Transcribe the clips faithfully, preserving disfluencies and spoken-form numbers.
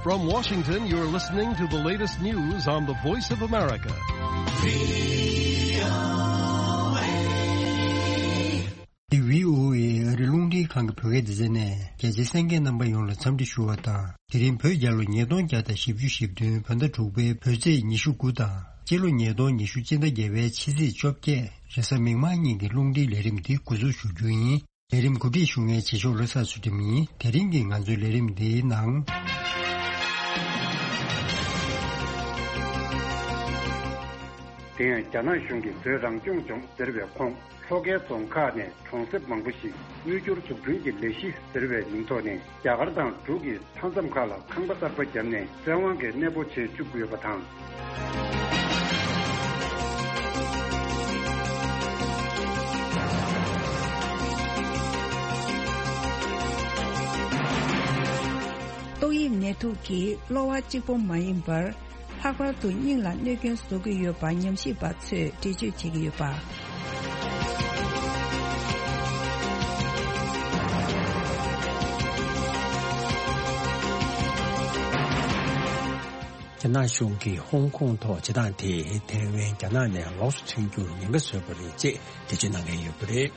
From Washington, you're listening to the latest news on the Voice of America. འདི་བྷི་ཨོ་ཨེ་ཨ་རི་རླུང་འཕྲིན་ཁང་གི་བོད་སྐད་སྡེ་ཚན་ནས། རྒྱ་ཆེའི་གསན་མཁན་རྣམ་པ་ཡོངས་ལ་འཚམས་འདྲི་ཞུ་བ་དང་། དེ་རིང་བོད་རྒྱལ་ལོ་ཉིས་སྟོང་བརྒྱ་དང་བཞི་བཅུ་ཞེ་བདུན། བོད་ཟླ་དྲུག་པའི་བོད་ཚེས་ཉི་ཤུ་དགུ་དང་། སྤྱི་ལོ་ཉིས་སྟོང་ཉི་ཤུ་སྤྱི་ཟླ་བརྒྱད་པའི་ཕྱི་ཚེས་བཅོ་བརྒྱད། རེས་གཟའ་མིག་དམར་ཉིན་གྱི་རླུང་འཕྲིན་ལས་རིམ་འདི་འགོ་འཛུགས་ཞུ་རྒྱུ་ཡིན། ལས་རིམ་གོ་སྒྲིག་ཞུ་མཁན་རྗེ་ཕྱོགས་བློ་བཟང་ཚུལ་ཁྲིམས་ཡིན། དེ་རིང་གི་ང་ཚོའི་ལས་རིམ་འདིའི་ནང་། དེ་ཡང་རྒྱ་ནག་གཞུང་གིས་བོད་རང་སྐྱོང་ལྗོངས་ཟེར་བའི་ཁོངས་ལྷོ་ཁའི་རྫོང་ཁག་ནས་གྲོང་གསེབ་མང་པོ་ཞིག་དབུལ་སྐྱོར་འཛུགས་སྐྲུན་གྱི་ལས་གཞི་ཟེར་བའི་མིང་ཐོག་ནས། རྒྱ་གར་དང་འབྲུག་གི་མཐའ་མཚམས་ཁག་ལ་ཁང་པ་གསར་པ་བརྒྱབ་ནས་བཙན་དབང་གིས་གནས་སྤོ་བྱེད་བཅུག་ཡོད་པ་དང་། ཏོག་དབྱིབས་ནད་དུག་གིས་གློ་བ་གཅིག་པོ་མ་ཡིན་པར། ལྷག་པར་དུ་སྙིང་ལ་གནོད་སྐྱོན་བཟོ་གི་ཡོད་པ་ཉམས་ཞིབ་པ་ཚོས་འགྲེལ་བརྗོད་བྱེད་ཀྱི་ཡོད་པ། རྒྱ་ནག་གཞུང་གིས་ཧོང་ཀོང་ཐོག་བྱེད་སྟངས་དེས་ཐའེ་ཝན་རྒྱ་ནག་ནས་ལོགས་སུ་ཐོན་རྒྱུར་ཉེན་ཁ་བཟོས་པ་རེད་ཅེས་འགྲེལ་བརྗོད་གནང་གི་ཡོད་པ་རེད།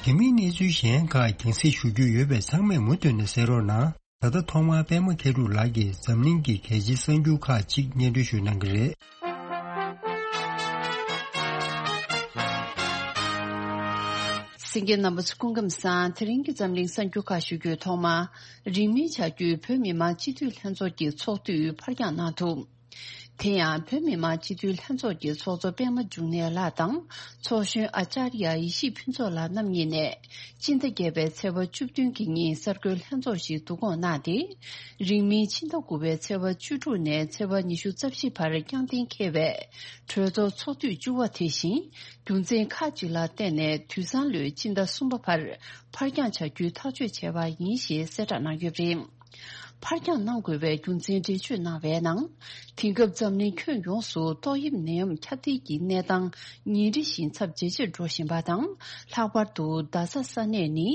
དེ་མིན་གནས་ཚུལ་གཞན་ཁག་རྒྱང་སྲིང་ཞུ་རྒྱུ་ཡོད་པས་ཚང་མས་མུ་མཐུད་ནས་གསན་རོགས་གནང་། ད་ལྟ་ཐོག་མར་པད་མ་མཁས་གྲུབ་ལགས་ཀྱིས་འཛམ་གླིང་གི་གལ་ཆེའི་གསར་འགྱུར་ཁག་ཅིག་སྙན་སྒྲོན་ཞུ་གནང་གི་རེད། གསན་མཁན་རྣམ་པ་ཚོ་སྐུ་ཁམས་བཟང་། དེ་རིང་གི་འཛམ་གླིང་གསར་འགྱུར་ཁག་ཞུ་རྒྱུའི་ཐོག་མ། རིང་མིན་བྱ་རྒྱུའི་བོད་མི་མང་སྤྱི་འཐུས་ལྷན་ཚོགས་ཀྱི་ཚོགས་དུས་ཕར་འགྱངས་གནང་འདུག་དེ་ཡང་བོད་མི་མང་སྤྱི་འཐུས་ལྷན་ཚོགས་ཀྱི་ཚོགས་གཙོ་པད་མ་འབྱུང་གནས་ལགས་དང་ཚོགས་གཞོན་ཨ་ཅཱརྱ་ཡེ་ཤེས་ཕུན་ཚོགས་ལགས་རྣམ་གཉིས་ནས་སྤྱི་ཟླ་བརྒྱད་པའི་ཚེས་པ་བཅུ་བདུན་གྱི་ཉིན་གསར་འགོད་ལྷན་ཚོགས་ཤིག་བསྡུ་སྐོང་གནང་སྟེ། རིང་མིན་ཕྱི་ཟླ་དགུ་པའི་ཚེས་པ་བཅུ་དྲུག་ནས་ཚེས་པ་ཉི་ཤུ་རྩ་བཞི་བར་བསྐྱངས་གཏན་འཁེལ་བའི་གྲོས་ཚོགས་ཚོགས་དུས་བཅུ་པ་དེ་བཞིན་རྒྱུ་མཚན་ཁག་ཅིག་ལ་བརྟེན་ནས་དུས་སང་ལོའི་སྤྱི་ཟླ་གསུམ་པ་བར་ཕར་འགྱངས་བྱ་རྒྱུའི་ཐག་གཅོད་བྱས་པ་ཡིན་ཞེས་གསལ་བསྒྲགས་གནང་ཡོད་པ་རེད། ཕར་འགྱངས་གནང་དགོས་པའི་རྒྱུ་མཚན་འགྲེལ་བརྗོད་གནང་བའི་ནང་། དེང་སྐབས་འཛམ་གླིང་ཁྱོན་ཡོངས་སུ་ཏོག་དབྱིབས་ནད་ཡམས་ཁྱབ་གདལ་གྱི་གནས་སྟངས་ཉིན་རེ་བཞིན་ཚབས་ཇེ་ཆེར་འགྲོ་བཞིན་པ་དང་། ལྷག་པར་དུ་རྡ་ས་ས་གནས་ནི་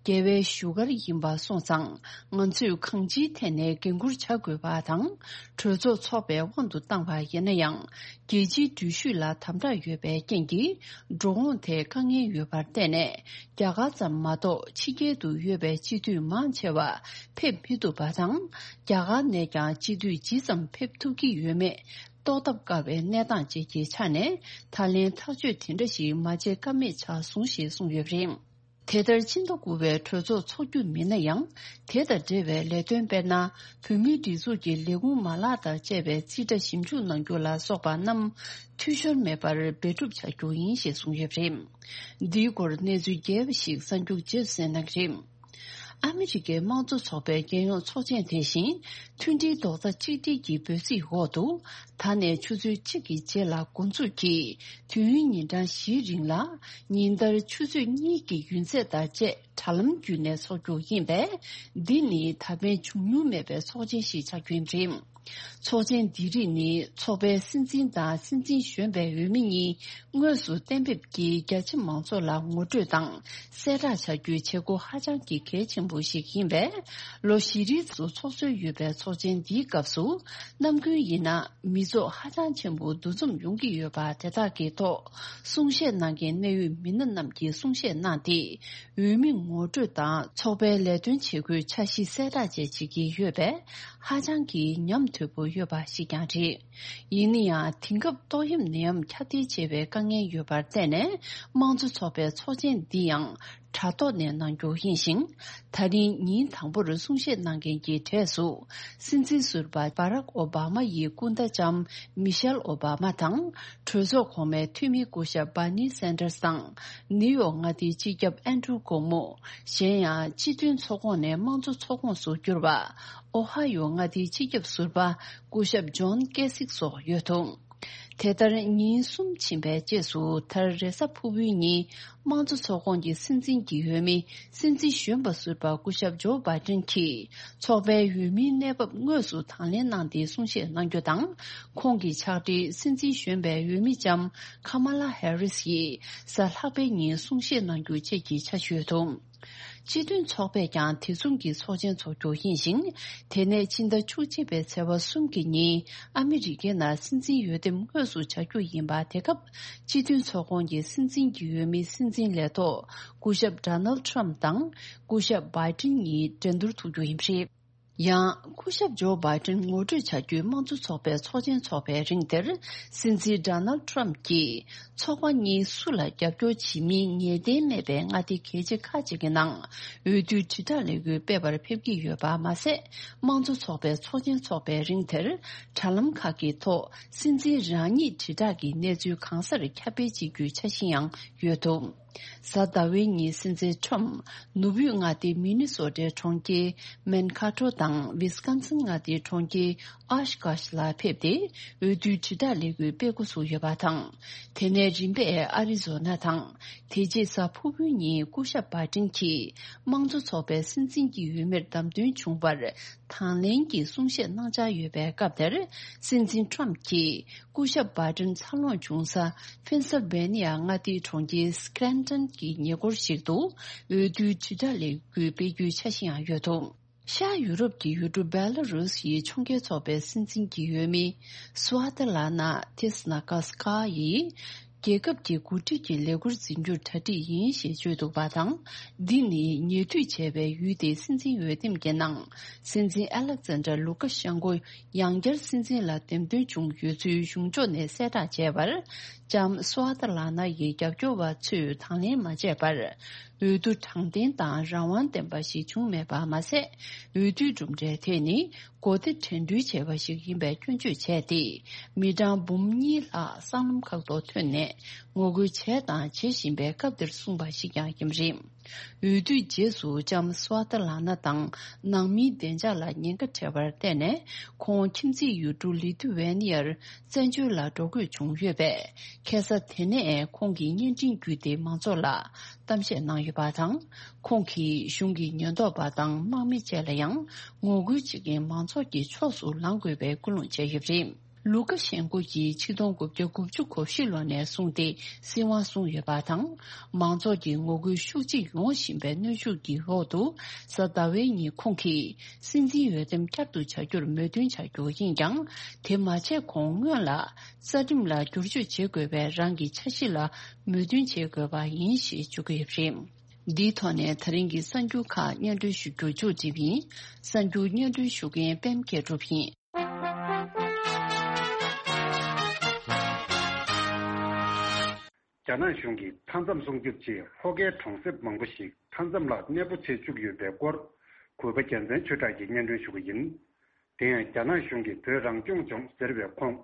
རྒྱལ་བའི་བཞུགས་སྒར་ཡིན་པ་སོང་ཙང་། ང་ཚོས་གང་ཅིའི་ཐད་ནས་འགན་འཁུར་བྱ་དགོས་པ་དང་། གྲོས་ཚོགས་འཚོགས་པའི་དབང་དུ་བཏང་བ་ཡིན་ན་ཡང་། རྒྱལ་སྤྱིའི་འགྲུལ་བཞུད་ལ་དམ་དྲག་ཡོད་པའི་རྐྱེན་གྱིས། འགྲོ་འོང་ཐད་དཀའ་ངལ་ཡོད་པར་བརྟེན་ནས། རྒྱ་གར་ཙམ་མ་གཏོགས་ཕྱི་རྒྱལ་དུ་ཡོད་པའི་སྤྱི་འཐུས་མང་ཆེ་བ་ཕེབས་མི་ཐུབ་པ་དང་། རྒྱ་གར་ནས་ཀྱང་སྤྱི་འཐུས་ཇི་ཙམ་ཕེབས་ཐུབ་ཀྱི་ཡོད་མེད་རྟོགས་ཐབས་དཀའ་བའི་གནས་སྟངས་བཅས་ཀྱི་ཆ་ནས། ད་ལན་ཐག་གཅོད་དེ་འདྲ་ཞིག་མ་བྱེད་ཀ་མེད་ཆགས་སོང་ཞེས་གསུངས་ཡོད་པ་རེད། དེ་ལྟར་ཕྱི་ཟླ་དགུ་པའི་གྲོས་ཚོགས་འཚོགས་རྒྱུ་མིན་ན་ཡང་། དེ་དང་འབྲེལ་བའི་ལས་དོན་དཔེར་ན། བོད་མིའི་སྒྲིག་འཛུགས་ཀྱི་ལས་ཁུངས་མ་ལག་དང་བཅས་པའི་རྩིས་ཁྲ་ཞིབ་འཇུག་གནང་རྒྱུ་ལ་སོགས་པ་རྣམས་འཐུས་ཤོར་མེད་པར་འབད་སྒྲུབ་བྱ་རྒྱུ་ཡིན་ཞེས་གསུངས་ཡོད་པ་རེད། འདིའི་སྐོར་གནས་ཚུལ་རྒྱས་པ་ཞིག་གསར་འགྱུར་རྗེས་སུ་གསན་གནང་གི་རེད། ཨ་མི་རི་ཀའི་དམངས་གཙོ་ཚོགས་པའི་རྒྱལ་ཡོངས་ཚོགས་ཆེན་དེ་བཞིན་མཐུན་སྒྲིལ་རྡོག་རྩ་གཅིག་སྒྲིལ་གྱི་འབོད་ཚིག་འོག་ཏུ། ད་ནས་ཆུ་ཚོད་གཅིག་གི་རྗེས་ལ་འགོ་འཛུགས་ཀྱིས། དུས་ཡུན་ཉིན་གྲངས་བཞིའི་རིང་ལ། ཉིན་ལྟར་ཆུ་ཚོད་གཉིས་ཀྱི་ཡུན་ཚད་དང་བཅས། དྲ་ལམ་བརྒྱུད་ནས་འཚོགས་རྒྱུ་ཡིན་པས། འདི་ནི་ད་ཕན་བྱུང་མྱོང་མེད་པའི་ཚོགས་ཆེན་ཞིག་ཆགས་རྒྱུ་ཡིན་པ་རེད། ཚོགས་ཆེན་འདི་རིགས་ནི་ཚོགས་པའི་སྲིད་འཛིན་དང་སྲིད་འཛིན་གཞོན་པའི་འོས་མི་གཉིས་དངོས་སུ་གཏན་འབེབས་ཀྱིས་རྒྱ་ཆེ་མང་ཚོགས་ལ་ངོ་སྤྲོད་དང་གསལ་བསྒྲགས་བྱ་རྒྱུའི་བྱེད་སྒོ་ཧ་ཅང་གི་གལ་ཆེན་པོ་ཞིག་ཡིན་པས། ལོ་བཞི་རིང་དུ་འཚོགས་སྲོལ་ཡོད་པའི་ཚོགས་ཆེན་འདིའི་སྐབས་སུ་ནམ་རྒྱུན་ཡིན་ན་མི་ཚོགས་ཧ་ཅང་ཆེན་པོ་འདུ་འཛོམས་ཡོང་གི་ཡོད་པ་དེ་དག་གི་ཐོག་གསུང་བཤད་གནང་མཁན་གནད་ཡོད་མི་སྣ་རྣམས་ཀྱིས་གསུང་བཤད་གནང་སྟེ། འོས་མི་ངོ་སྤྲོད་དང་ཚོགས་པའི་ལས་དོན་བྱེད་སྒོའི་འཆར་གཞི་གསལ་བསྒྲགས་བཅས་བྱེད་ཀྱི་ཡོད་པས། ཧ་ཅང་གི་ཉམས་དོད་པོ་ཡོད་པ་ཞིག་ཀྱང་རེད། ཡིན་ན་ཡང་དེང་སྐབས་ཏོག་དབྱིབས་ནད་ཡམས་ཁྱབ་གདལ་ཆེ་བའི་དཀའ་ངལ་ཡོད་པར་བརྟེན་ནས། དམངས་གཙོ་ཚོགས་པའི་ཚོགས་ཆེན་འདི་ཡང་དྲ་ཐོག་ནས་གནང་རྒྱུ་ཡིན་ཞིང་། ད་རིང་ཉིན་དང་པོར་གསུང་བཤད་གནང་མཁན་གྱི་གྲས་སུ། སྲིད་འཛིན་ཟུར་པ་བྷ་རག་ཨོ་བྷ་མ་ཡི་སྐུ་ཟླ་ལྕམ་མི་ཤེལ་ཨོ་བྷ་མ་དང་། གྲོས་ཚོགས་གོང་མའི་འཐུས་མི་སྐུ་ཞབས་བྷར་ནི་སན་ཏར་སི་དང་། ནིའུ་ཡོག་མངའ་སྡེའི་སྤྱི་ཁྱབ་ཨན་ཌྲུ་ཀོ་མོ། གཞན་ཡང་སྤྱི་མཐུན་ཚོགས་ཁོངས་ནས་དམངས་གཙོ་ཚོགས་ཁོངས་སུ་གྱུར་པ། ཨོ་ཧ་ཡོ་མངའ་སྡེའི་སྤྱི་ཁྱབ་ཟུར་པ་སྐུ་ཞབས་ཇོན་ཀེ་སིག་སོགས་ཡོད་འདུག་དེ་ལྟར་ཉིན་གསུམ་ཕྱིན་པའི་རྗེས་སུ། མཐར་རེས་གཟའ་ཕུར་བུའི་ཉིན་དམངས་གཙོ་ཚོགས་ཁོངས་ཀྱི་སྲིད་འཛིན་གྱི་འོས་མི། སྲིད་འཛིན་གཞོན་པ་ཟུར་པ་སྐུ་ཞབས་ཇོ་བྷའི་ཏིན་གྱིས་ཚོགས་པའི་འོས་མིའི་གནས་བབ་དངོས་སུ་དང་ལེན་གནང་སྟེ་གསུང་བཤད་གནང་རྒྱུ་དང་། ཁོང་གི་ཕྱག་སྦྲེལ་སྲིད་འཛིན་གཞོན་པའི་འོས་མི་ལྕམ་ཁ་མ་ལ་ཧེ་རིས་ཡིས་གཟའ་ལྷག་པའི་ཉིན་གསུང་བཤད་གནང་རྒྱུ་བཅས་ཀྱི་འཆར་གཞི་ཡོད་འདུག་སྤྱི་མཐུན་ཚོགས་པས་ཀྱང་དེ་མཚུངས་ཀྱི་ཚོགས་ཆེན་འཚོགས་རྒྱུ་ཡིན་ཞིང་། དེ་ནས་ཕྱི་ཟླ་བཅུ་གཅིག་པའི་ཚེས་པ་གསུམ་གྱི་ཉིན་ཨ་མི་རི་ཀའི་ནང་སྲིད་འཛིན་འོས་འདེམས་དངོས་སུ་བྱ་རྒྱུ་ཡིན་པ། དེ་སྐབས་སྤྱི་མཐུན་ཚོགས་ཁོངས་ཀྱི་སྲིད་འཛིན་གྱི་འོས་མི་སྲིད་འཛིན་ལས་ཐོག་སྐུ་ཞབས་Donald Trump་དང་སྐུ་ཞབས་Biden་གཉིས་འགྲན་བསྡུར་ཐུབ་རྒྱུ་ཡིན་པ་རེད། ཡང་སྐུ་ཞབས་ཇོ་བྷའི་ཏིན་ངོ་སྤྲོད་བྱ་རྒྱུའི་དམངས་གཙོ་ཚོགས་པའི་ཚོགས་ཆེན་འཚོགས་པའི་རིང་དེར། སྲིད་འཛིན་ཌོ་ནལ་ཁྲམ་གྱིས་ཚོགས་པ་གཉིས་སུ་ལ་རྒྱབ་སྐྱོར་བྱེད་མིན་ངེས་གཏན་མེད་པའི་མངའ་སྡེ་གལ་ཆེ་ཁག་ཅིག་གི་ནང་འོས་བསྡུའི་དྲིལ་བསྒྲགས་ལས་འགུལ་སྤེལ་བར་ཕེབས་ཀྱི་ཡོད་པ་མ་ཟད། དམངས་གཙོ་ཚོགས་པའི་ཚོགས་ཆེན་འཚོགས་པའི་རིང་དེར། དྲ་ལམ་ཁག་གི་ཐོག་སྲིད་འཛིན་རང་ཉིད་དྲིལ་བསྒྲགས་ཀྱི་གནས་ཚུལ་གང་སར་ཁྱབ་སྤེལ་བྱེད་རྒྱུའི་འཆར་གཞི་ཡང་ཡོད་འདུག་གཟའ་ཟླ་བའི་ཉིན་སྲིད་འཛིན་ཁྲོམ་ནུབ་དབུས་མངའ་སྡེ་མི་ནི་སོ་ཊའི་གྲོང་ཁྱེར་མན་ཁ་ཊོ་དང་ཝིས་ཀོན་སིན་མངའ་སྡེའི་གྲོང་ཁྱེར་ཨོ་ཤ་གྷོ་ཤ་ལ་ཕེབས་ཏེ་འོས་བསྡུའི་དྲིལ་བསྒྲགས་ལས་འགུལ་སྤེལ་འགོ་ཚུགས་ཡོད་པ་དང་། དེ་ནས་རིམ་པས་ཨ་རི་ཛོ་ན་དང་། དེ་རྗེས་གཟའ་ཕུར་བུའི་ཉིན་སྐུ་ཞབས་བྷའི་ཏིན་གྱིས་དམངས་གཙོ་ཚོགས་པའི་སྲིད་འཛིན་གྱི་འོས་མིར་བདམས་ཐོན་བྱུང་བར་དང་ལེན་གྱི་གསུང་བཤད་གནང་འཆར་ཡོད་པའི་སྐབས་དེར། སྲིད་འཛིན་ཁྲོམ་གྱིས། སྐུ་ཞབས་བྷའི་ཏིན་འཚར་ལོངས་བྱུང་ས་ཕེན་སིལ་བྷེ་ནི་ཡ་མངའ་སྡེའི་གྲོང་ཁྱེར་སི་ཀྲན་ཊོན་གྱི་ཉེ་འཁོར་ཞིག་ཏུ་འོས་བསྡུའི་དྲིལ་བསྒྲགས་ལས་འགུལ་སྤེལ་རྒྱུའི་འཆར་གཞི་ཡང་ཡོད་འདུག་ཤར་ཡུ་རོབ་ཀྱི་ཡུལ་གྲུ་བེ་ལ་རུ་སིའི་ཕྱོགས་འགལ་ཚོགས་པའི་སྲིད་འཛིན་གྱི་འོས་མི་སུའ་ཏི་ལ་ན་ཏི་སི་ན་ཀ་སི་ཀ་ཡིས། རྒྱལ་ཁབ་ཀྱི་འགོ་ཁྲིད་ཀྱི་ལས་འཁུར་འཛིན་རྒྱུར་གྲ་སྒྲིག་ཡིན་ཞེས་བརྗོད་འདུག་པ་དང་། འདི་ནི་ཉེ་དུས་བྱས་པའི་ཡུལ་དེའི་སྲིད་འཛིན་འོས་འདེམས་ཀྱི་ནང་། སྲིད་འཛིན་ཨ་ལེག་ཛན་ཌར་ལུ་ཀ་ཤན་ཀོ་ཡང་བསྐྱར་སྲིད་འཛིན་ལ་འདེམས་ཐོན་བྱུང་ཡོད་ཚུལ་གཞུང་ཕྱོགས་ནས་གསལ་བསྒྲགས་བྱས་པར། ལྕམ་སུའ་ཏི་ལ་ན་ཡི་རྒྱབ་སྐྱོར་བ་ཚོས་དང་ལེན་མ་བྱས་པར། འོས་བསྡུ་དྲང་བདེན་དང་རང་དབང་ལྡན་པ་ཞིག་བྱུང་མེད་པ་མ་ཟད། འོས་བསྡུའི་གྲུབ་འབྲས་དེ་ནི། གོ་བདེ་དྲན་འཕྲུལ་བྱས་པ་ཞིག་ཡིན་པའི་སྐྱོན་བརྗོད་བྱས་ཏེ། མི་གྲངས་འབུམ་གཉིས་ལྷག་སྲང་ལམ་ཁག་ཏུ་ཐོན་ནས་ངོ་རྒོལ་བྱས་དང་བྱེད་བཞིན་པའི་སྐབས་འདིར་གསུངས་པ་ཞིག་ཀྱང་ཡིན་པ་རེད། འོས་བསྡུའི་རྗེས་སུ་ལྕམ་སུའ་ཏི་ལ་ན་དང་ནང་མིའི་བདེ་འཇགས་ལ་ཉེན་ཁ་འཕྲད་པར་བརྟེན་ནས། ཁོང་ཁྱིམ་མཚེས་ཡུལ་གྲུ་ལི་ཐུ་ཝེ་ནི་ཡར་བཙན་བྱོལ་ལ་འགྲོ་དགོས་བྱུང་ཡོད་པས། ཁ་སང་དེ་ནས་ཁོང་གིས་བརྙན་འཕྲིན་བརྒྱུད་དེ་མང་ཚོགས་ལ། གཏམ་བཤད་གནང་ཡོད་པ་དང་། ཁོང་གིས་གཞུང་གི་ཉེན་རྟོག་པ་དང་དམག་མི་བཅས་ལ་ཡང་ངོ་རྒོལ་བྱེད་མཁན་མང་ཚོགས་ཀྱི་ཕྱོགས་སུ་ལངས་དགོས་པའི་སྐུལ་སློང་བྱས་ཡོད་པ་རེད། ལུ་ཀ་ཤན་ཀོ་ཡིས་ཆིག་སྟོང་དགུ་བརྒྱ་དགུ་བཅུ་གོ་བཞི་ལོ་ནས་བཟུང་སྟེ་སྲིད་དབང་བཟུང་ཡོད་པ་དང་། མང་ཚོགས་ཀྱི་ངོ་རྒོལ་ཤུགས་ཆེ་ཡོང་བཞིན་པའི་གནོན་ཤུགས་ཀྱི་འོག་ཏུ། གཟའ་ཟླ་བའི་ཉིན་ཁོང་གིས་སྲིད་འཛིན་འོས་འདེམས་བསྐྱར་དུ་བྱ་རྒྱུར་མོས་མཐུན་བྱ་རྒྱུ་ཡིན་ཀྱང་། དེ་མ་བྱས་གོང་སྔོན་ལ། རྩ་ཁྲིམས་ལ་བསྒྱུར་བཅོས་བྱེད་དགོས་པའི་རང་གི་འཆར་གཞི་ལ་མོས་མཐུན་བྱེད་དགོས་པ་ཡིན་ཞེས་བརྗོད་ཀྱི་ཡོད་པ་རེད། འདིའི་ཐོག་ནས་ད་རིང་གི་གསར་འགྱུར་ཁག་སྙན་སྒྲོན་ཞུ་རྒྱུ་མཇུག་སྒྲིལ་བ་ཡིན། གསར་འགྱུར་སྙན་སྒྲོན་ཞུ་མཁན་པད་མ་མཁས་གྲུབ་ཡིན། རྒྱ་ནག་གཞུང་གིས་མཐའ་མཚམས་སྲུང་སྐྱོབ་ཆེད་ལྷོ་ཁའི་གྲོང་གསེབ་མང་པོ་ཞིག་མཐའ་མཚམས་ལ་གནས་སྤོ་བྱེད་བཅུག་ཡོད་པའི་སྐོར། གུས་པ་རྒྱལ་མཚན་ཆོས་གྲགས་ཀྱིས་སྙན་སྒྲོན་ཞུ་གི་ཡིན། དེ་ཡང་རྒྱ་ནག་གཞུང་གིས་བོད་རང་སྐྱོང་ལྗོངས་ཟེར་བའི་ཁོངས།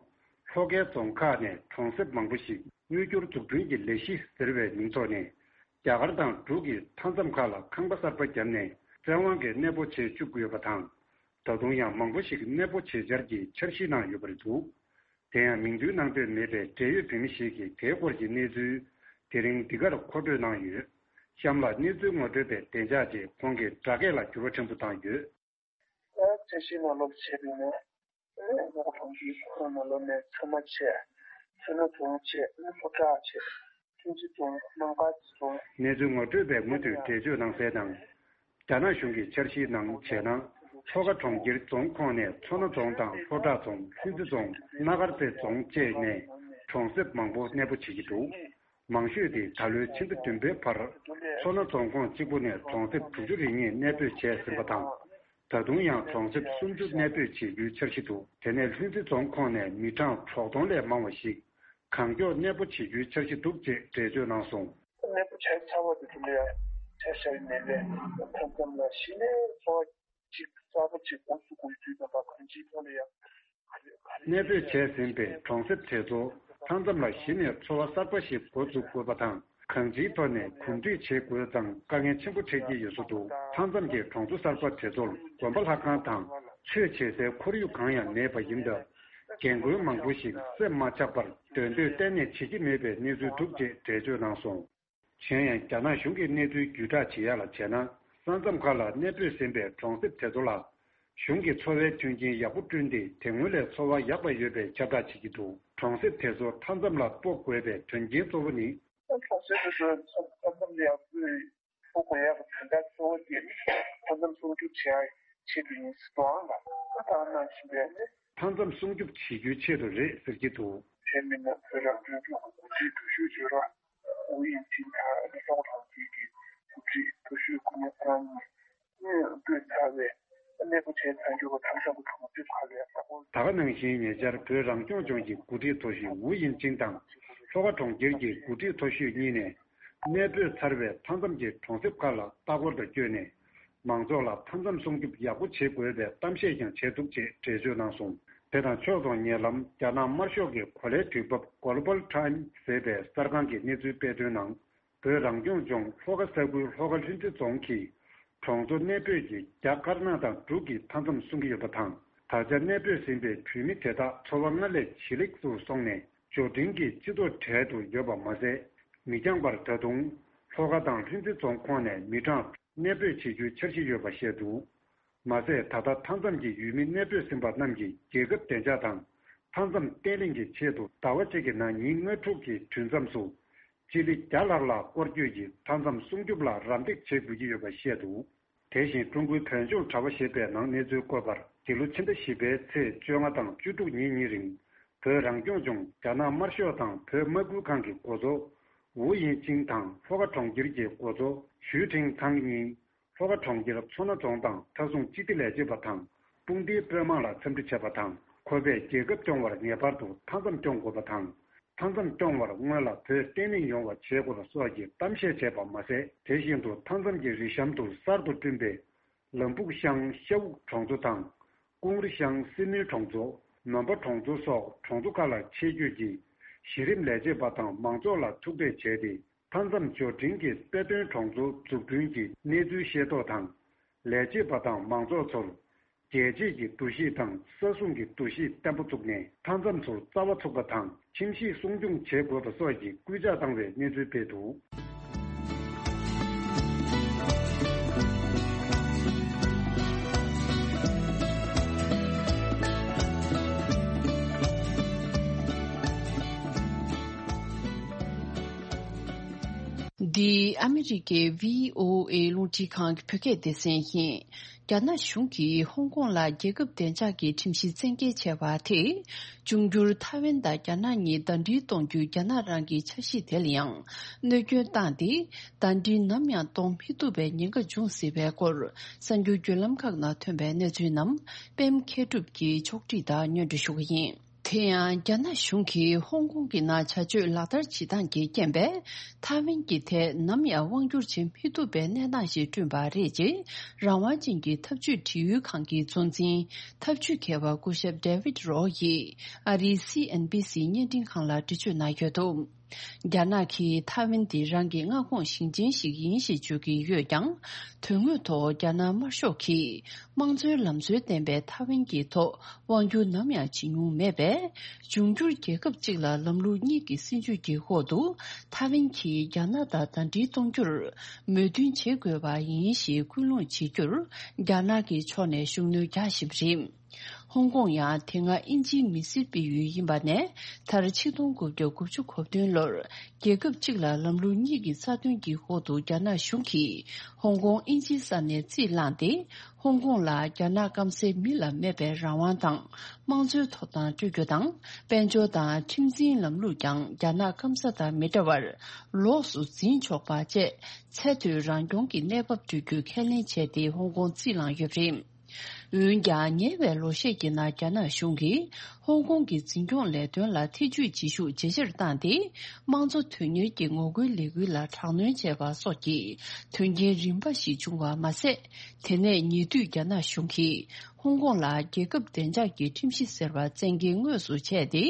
ལྷོ་ཁའི་རྫོང་ཁག་ནས་གྲོང་གསེབ་མང་པོ་ཞིག་དངུལ་སྐྱོར་འཛུགས་སྐྲུན་གྱི་ལས་གཞི་ཟེར་བའི་མིང་ཐོག་ནས། རྒྱ་གར་དང་འབྲུག་གི་མཐའ་མཚམས་ཁག་ལ་ཁང་པ་གསར་པ་བརྒྱབ་ནས་བཙན་དབང་གིས་གནས་སྤོ་བྱེད་བཅུག་ཡོད་པ་དང་། ད་དུང་ཡང་མང་པོ་ཞིག་གནས་སྤོ་བྱེད་འཆར་གྱི་འཆར་གཞི་ནང་ཡོད་པ་རེད་འདུག་དེ་ཡང་མིང་འདོན་གནང་འདོད་མེད་པའི་འབྲེལ་ཡོད་བོད་མི་ཞིག་གིས་དེའི་སྐོར་གྱི་གནས་ཚུལ་དེ་རིང་འདི་གར་མཁོ་སྤྲོད་གནང་ཡོད། གཤམ་ལ་གནས་ཚུལ་ངོ་སྤྲོད་པའི་བདེ་འཇགས་ཆེད་ཁོང་གིས་སྦྲགས་སྐད་ལ་འགྱུར་བ་ཕྲན་བུ་བཏང་ཡོད། ད་ཆ་ཤས་ནང་ལོགས་བྱས་པ་ཡིན་ན། ཨེ་ངོ་གྲོང་གི་ཁོངས་ནང་ལོགས་ནས་ཚང་མ་བྱས། མཚོ་སྣ་རྫོང་བྱས། ཨེ་ལྷོ་བྲག་བྱས། ཁྲུང་ཆིང་རྫོང་། སྣང་ག་རྫོང་། གནས་ཚུལ་ངོ་སྤྲོད་པས་མུ་མཐུད་འགྲེལ་བརྗོད་གནང་གསལ་ནང་། རྒྱ་ནག་གཞུང་གི་འཆར་གཞིའི་ནང་བྱས་ན། ལྷོ་ཁ་གྲོང་ཁྱེར་རྫོང་ཁོངས་ནས་མཚོ་སྣ་རྫོང་དང་ལྷོ་བྲག་རྫོང་། ལྷུན་རྩེ་རྫོང་། སྣ་དཀར་རྩེ་རྫོང་བཅས་ནས་གྲོང་གསེབ་མང་པོ་གནས་སྤོ་བྱེད་ཀྱི་འདུག་མང་ཤོས་དེ་ད་ལོའི་ཕྱི་ཟླ་བདུན་པའི་བར། མཚོ་སྣ་རྫོང་ཁོངས་གཅིག་པུ་ནས་གྲོང་གསེབ་དྲུག་ཅུ་རེ་གཉིས་གནས་སྤོས་བྱས་ཟིན་པ་དང་། ད་དུང་ཡང་གྲོང་གསེབ་སུམ་ཅུ་གནས་སྤོས་བྱེད་རྒྱུའི་འཆར་གཞི་འདུག་དེ་ནས་ལྷུན་རྩེ་རྫོང་ཁོངས་ནས་མི་གྲངས་དྲུག་སྟོང་ལས་མང་བ་ཞིག་གང་མགྱོགས་གནས་སྤོ་བྱེད་རྒྱུའི་འཆར་གཞི་འདུག་ཅེས་འགྲེལ་བརྗོད་གནང་སོང་། གནས་སྤོ་བྱས་ཚར་བ་དེ་ཚོ་ལ་ཡང་ཆ་བཞག་ཡིན་ནའི་ལས་མཐའ་མཚམས་ལ་གཞི་ནས་འཚོ་བ་ཅིག་གསར་པ་ཅིག་འགོ་ཚུགས་དགོས་དུས་ཙམ་པ་གང་ཅིའི་ཐོག་ལ་ཡང་གནས་སྤོས་བྱས་ཟིན་པའི་གྲོང་གསེབ་དེ་ཚོ་མཐའ་མཚམས་ལ་གཞི་ནས་འཚོ་བ་གསར་པ་ཞིག་འགོ་འཛུགས་དགོས་པ་དང་། གང་ཅིའི་ཐོག་ནས་གུས་འདུད་བྱེད་དགོས་ཙང་དཀའ་ངལ་ཆེན་པོ་འཕྲད་ཀྱི་ཡོད་བཟོ་འདུག་མཐའ་མཚམས་ཀྱི་གྲོང་ཚོ་གསར་པ་དེ་ཚོར་དགོན་པ་ལྷ་ཁང་དང་ཆོས་བྱེད་སའི་ཁོར་ཡུག་གང་ཡང་མེད་པ་ཡིན་སྟབས། རྒན་རྒོན་མང་པོ་ཞིག་སེམས་མ་ཆགས་པར་སྡོད་འདོད་གཏན་ནས་བྱེད་ཀྱི་མེད་པའི་གནས་ཚུལ་འདུག་ཅེས་འགྲེལ་བརྗོད་གནང་སོང་། གཞན་ཡང་རྒྱ་ནག་གཞུང་གི་གནས་ཚུལ་བརྒྱུད་བསྒྲགས་བྱེད་ཡག་ལ་བྱས་ན། ས་མཚམས་ཁག་ལ་གནས་སྤོས་ཟིན་པའི་གྲོང་གསེབ་དེ་ཚོ་ལ། གཞུང་གི་འཚོ་བའི་མཐུན་རྐྱེན་ཡག་པོ་བསྐྲུན་ཏེ་དེ་སྔོན་ལས་འཚོ་བ་ཡག་པ་ཡོད་པའི་ཁྱབ་བསྒྲགས་བྱེད་ཀྱི་འདུག་གྲོང་གསེབ་དེ་ཚོ་མཐའ་མཚམས་ལ་སྤོ་དགོས་པའི་དོན་རྐྱེན་གཙོ་བོ་ནི། གྲོང་གསེབ་དེ་ཚོ་མཐའ་མཚམས་ལ་ཡག་པོ་ ཕུགས་དགོས་ཡག་གི་དོན་དག་གཙོ་བོ་དེ་ནི་མཐའ་མཚམས་སྲུང་སྐྱོབ་བྱེད་ཡག་ཆེད་དུ་ཡིན་ཟེར་དུའང་ལ་ད་ལྟ་གནང་བཞིན་པའི་ནི། མཐའ་མཚམས་སྲུང་སྐྱོབ་བྱེད་རྒྱུའི་ཆེད་དུ་རེད་ཟེར་གྱི་འདུག་དེ་མིན་ན་བོད་རང་སྐྱོང་ལྗོངས་ཀྱི་འགོ་ཁྲིད་མཐོ་ཤོས་ཇོ་ར་ཝུའུ་དབྱིང་ཅིན་དང་ལྷོ་ཁ་གྲོང་ཁྱེར་གྱི་འགོ་ཁྲིད་མཐོ་ཤོས་སྐུ་ཉིད་ཀྲང་གཉིས་གནས་སྤོས་ཚར་བའི་གནས་སྤོ་བྱས་ཚར་རྒྱུ་གི་མཐའ་མཚམས་ཀྱི་གྲོང་གསེབ་ཁག་ལ་ལྟ་སྐོར། ད་ག་ནང་བཞིན་ཉེ་ཆར་བོད་རང་སྐྱོང་ལྗོངས་ཀྱི་འགོ་ཁྲིད་མཐོ་ཤོས་ཝུའུ་དབྱིང་ཅིན་དང་ལྷོ་ཁ་གྲོང་ཁྱེར་གྱི་འགོ་ཁྲིད་མཐོ་ཤོས་གཉིས་ནས་གནས་སྤོས་ཚར་བའི་མཐའ་མཚམས་ཀྱི་གྲོང་གསེབ་ཁག་ལ་ལྟ་སྐོར་དུ་བསྐྱོད་ནས། མང་ཚོགས་ལ་མཐའ་མཚམས་སྲུང་སྐྱོབ་ཡག་པོ་བྱེད་དགོས་པའི་གཏམ་བཤད་ཀྱང་བྱས་འདུག་ཅེས་འགྲེལ་བརྗོད་གནང་སོང་། དེ་དང་ཕྱོགས་མཚུངས་ཉེ་ལམ་རྒྱ་ནག་དམར་ཤོག་གི་གོ་ལའི་དུས་བབ་Global Times ཟེར་བའི་གསར་ཁང་གིས་གནས་ཚུལ་སྤེལ་དོན་ནང་། བོད་རང་སྐྱོང་ལྗོངས་ལྷོ་ཁ་ས་ཁུལ་ལྷོ་ཁ་ལྷུན་རྩེ་རྫོང་གི་གྲོང་ཚོ་གནས་སྤོས་ཀྱི་རྒྱ་དཀར་ནག་དང་འབྲུག་གི་མཐའ་མཚམས་སྲུང་གི་ཡོད་པ་དང་། ད་ཆ་གནས་སྤོས་ཟིན་པའི་བོད་མི་དེ་དག་འཚོ་བ་སྔར་ལས་ཇེ་ལེགས་སུ་སོང་ནས་འབྱོར་འབྲིང་གི་སྤྱི་ཚོགས་གྲལ་དུ་ཡོད་པ་མ་ཟད། མི་འགྱངས་པར་ད་དུང་ལྷོ་ཁ་དང་ལྷུན་རྩེ་རྫོང་ཁོངས་ནས་མི་གྲངས་གནས་སྤོས་བྱེད་རྒྱུའི་འཆར་གཞི་ཡོད་པ་བཤད་འདུག་མ་ཟད་ད་ལྟ་མཐའ་མཚམས་ཀྱི་ཡུལ་མི་གནས་སྤོས་ཟིན་པ་རྣམས་ཀྱིས་རྒྱལ་ཁབ་བདེ་འཇགས་དང་མཐའ་མཚམས་བརྟན་ལྷིང་གི་ཆེད་དུ་ཟླ་བ་གཅིག་གི་ནང་ཉིན་ལྔ་དྲུག་གི་དུས་མཚམས་སུ་སྤྱི་ལེ་བརྒྱ་ལྷག་ལ་སྐོར་སྐྱོད་ཀྱིས་མཐའ་མཚམས་སྲུང་སྐྱོབ་ལ་རམ་འདེགས་བྱེད་དགོས་ཀྱི་ཡོད་པ་བཤད་འདུག་དེ་བཞིན་ཀྲུང་གོའི་བོད་ལྗོངས་དྲ་བ་ཞེས་པའི་ནང་གནས་ཚུལ་བཀོད་པར། འདི་ལོ་ཕྱི་ཟླ་བཞི་པའི་ཚེས་བཅོ་ལྔ་དང་བཅུ་དྲུག་ཉིན་གཉིས་རིང་། བོད་རང་སྐྱོང་ལྗོངས་རྒྱ་ནག་དམར་ཤོག་དང་བོད་དམག་ཁུལ་ཁང་གི་འགོ་གཙོ་ཝུའུ་དབྱིང་ཅིན་དང་ལྷོ་ཁ་གྲོང་ཁྱེར་གྱི་འགོ་གཙོ་ཞུས་ཁྲིན་ཐང་གཉིས། ལྷོ་ཁ་གྲོང་ཁྱེར་མཚོ་སྣ་རྫོང་དང་མཐའ་སྲུང་སྤྱི་བདེ་ལས་བྱེད་པ་དང་དཔུང་སྡེའི་དཔོན་དམག་ལ་འཚམས་འདྲི་བྱས་པ་དང་། ཁོ་པས་རྒྱལ་ཁབ་སྐྱོང་བར་ངེས་པར་དུ་མཐའ་མཚམས་སྐྱོང་དགོས་པ་དང་། མཐའ་མཚམས་སྐྱོང་བར་སྔོན་ལ་བོད་བརྟན་ལྷིང་ཡོང་བ་བྱེད་དགོས་པ་སོགས་ཀྱི་གཏམ་བཤད་བྱས་པ་མ་ཟད། དེ་བཞིན་དུ་མཐའ་མཚམས་ཀྱི་རི་གཤམ་དུ་གསར་དུ་བསྐྲུན་པའི་ལམ་ཕུག་ཤང་ཤ་འུག་གྲོང་ཚོ་དང་། ཀུང་རི་ཤང་སི་མིར་གྲོང་ཚོ། ནོམ་པ་གྲོང་ཚོ་སོགས་གྲོང་ཚོ་ཁག་ལ་ཆེད་བསྐྱོད་ཀྱིས་གཞི་རིམ་ལས་བྱེད་པ་དང་མང་ཚོགས་ལ་ཐུག་འཕྲད་བྱས་ཏེ། མཐའ་མཚམས་འབྱོར་འབྲིང་གི་དཔེ་སྟོན་གྲོང་ཚོ་འཛུགས་སྐྲུན་གྱི་གནས་ཚུལ་ཤེས་རྟོགས་དང་། ལས་བྱེད་པ་དང་མང་ཚོགས་ཚོར་རྒྱལ་གཅེས་ཀྱི་འདུ་ཤེས་དང་ས་སྲུང་གི་འདུ་ཤེས་བརྟན་པོ་བཙུགས་ནས། མཐའ་མཚམས་སུ་རྩ་བ་ཚུགས་པ་དང་ཁྱིམ་གཞིས་སྲུང་སྐྱོང་བྱེད་དགོས་པ་སོགས་ཀྱི་སྐུལ་ལྕག་བཏང་བའི་གནས་ཚུལ་སྤེལ་འདུག་འདི་ཨ་མི་རི་ཀའི་བྷི་ཨོ་ཨེ་རླུང་འཕྲིན་ཁང་གི་བོད་སྐད་སྡེ་ཚན་ཡིན། རྒྱ་ནག་གཞུང་གིས་ཧོང་ཀོང་ལ་རྒྱལ་ཁབ་བདེ་འཇགས་ཀྱི་ཁྲིམས་གཞི་བཙན་འགེལ་བྱས་པ་དེས། འབྱུང་འགྱུར་ཐའེ་ཝན་དང་རྒྱ་ནག་གཉིས་ཟླ་སྒྲིལ་གཏོང་རྒྱུའི་རྒྱ་ནག་རང་གི་འཆར་གཞི་དེ་ལ་ཡང་གནོད་སྐྱོན་བཏང་སྟེ། ཟླ་སྒྲིལ་ནམ་ཡང་གཏོང་མི་ཐུབ་པའི་ཉེན་ཁ་འབྱུང་སྲིད་པའི་སྐོར། གསར་འགྱུར་བརྒྱུད་ལམ་ཁག་ནང་ཐོན་པའི་གནས་ཚུལ་རྣམས་པད་མ་མཁས་གྲུབ་ཀྱིས་ཕྱོགས་བསྒྲིགས་དང་སྙན་སྒྲོན་ཞུ་གི་ཡིན། དེ་ཡང་རྒྱ་ནག་གཞུང་གིས་ཧོང་ཀོང་གི་ནང་བྱ་སྤྱོད་ལག་བསྟར་བྱེད་སྟངས་ཀྱི་རྐྱེན་པས། ཐའེ་ཝན་གྱི་ཐད་ནམ་ཡང་དབང་བསྒྱུར་བྱེད་མི་ཐུབ་པའི་གནས་སྟངས་ཤིག་བསྐྲུན་པ་རེད་ཅེས། རང་དབང་ཅན་གྱི་འཐབ་ཇུས་དྲི་ཡུལ་ཁང་གི་གཙོ་འཛིན་འཐབ་ཇུས་མཁས་པ་སྐུ་ཞབས་David Rowe ཡིས་ཨ་རིའི་སི་ཨེན་བྷི་སི་བརྙན་འཕྲིན་ཁང་ལ་འགྲེལ་བརྗོད་གནང་ཡོད་འདུག་རྒྱ་ནག་གིས་ཐའེ་ཝན་དེ་རང་གི་མངའ་ཁོངས་ཞིང་ཆེན་ཞིག་ཡིན་ཞེས་བརྗོད་ཀྱི་ཡོད་ཀྱང་། དོན་དངོས་ཐོག་རྒྱ་ནག་དམར་ཤོག་གིས་དམངས་གཙོའི་ལམ་སྲོལ་ལྡན་པའི་ཐའེ་ཝན་གྱི་ཐོག་དབང་སྒྱུར་ནམ་ཡང་བྱེད་མྱོང་མེད་པས། འབྱུང་འགྱུར་རྒྱལ་ཁབ་གཅིག་ལ་ལམ་ལུགས་གཉིས་ཀྱི་སྲིད་ཇུས་ཀྱི་འོག་ཏུ་ཐའེ་ཝན་གྱིས་རྒྱ་ནག་དང་ཟླ་སྒྲིལ་གཏོང་རྒྱུར་མོས་མཐུན་བྱེད་དགོས་པ་ཡིན་ཞེས་སྐུལ་སློང་བྱེད་རྒྱུར་རྒྱ་ནག་གི་ཕྱོགས་ནས་ཤུགས་སྣོན་རྒྱག་བཞིན་པ་རེད། ཧོང་ཀོང་ཡང་དེ་སྔ་དབྱིན་ཇིའི་མི་སེར་སྤེལ་ཡུལ་ཡིན་པ་ནས། མཐར་ཆིག་སྟོང་དགུ་བརྒྱ་དགུ་བཅུ་གོ་བདུན་ལོར་རྒྱལ་ཁབ་གཅིག་ལ་ལམ་ལུགས་གཉིས་ཀྱི་རྩ་དོན་གྱི་འོག་ཏུ་རྒྱ་ནག་གཞུང་གིས་ཧོང་ཀོང་དབྱིན་ཇིའི་ས་ནས་རྩིས་བླངས་ཏེ། ཧོང་ཀོང་ལ་རྒྱ་ནག་སྐམ་སའི་མི་ལ་མེད་པའི་རང་དབང་དང་དམངས་གཙོའི་ཐོབ་ཐང་སྤྲོད་རྒྱུ་དང་། དཔལ་འབྱོར་དང་ཁྲིམས་འཛིན་ལམ་ལུགས་ཀྱང་རྒྱ་ནག་སྐམ་ས་དང་མི་འདྲ་བར་ལོགས་སུ་འཛིན་ཆོག་པ་བཅས། ཚད་མཐོའི་རང་སྐྱོང་གི་གནས་བབ་སྤྲོད་རྒྱུ་ཁས་ལེན་བྱས་ཏེ་ཧོང་ཀོང་རྩིས་བླངས་ཡོད་པ་རེད། འོན་ཀྱང་། ཉེ་བའི་ལོ་ཤས་ཀྱི་ནང་རྒྱ་ནག་གཞུང་གིས་ཧོང་ཀོང་གི་འཛིན་སྐྱོང་ལས་དོན་ལ་ཐེ་ཇུས་བྱེད་ཤུགས་ཇེ་ཆེར་བཏང་སྟེ། དམངས་གཙོ་དོན་གཉེར་གྱི་ངོ་རྒོལ་ལས་འགུལ་ལ་དྲག་གནོན་བྱས་པ་སོགས་ཀྱི་དོན་རྐྱེན་རིམ་པ་ཞིག་བྱུང་བ་མ་ཟད། དེ་ནས་ཉེ་དུས་རྒྱ་ནག་གཞུང་གིས་ཧོང་ཀོང་ལ་རྒྱལ་ཁབ་བདེ་འཇགས་ཀྱི་ཁྲིམས་གཞི་ཟེར་བ་བཙན་འགེལ་དངོས་སུ་བྱས་ཏེ།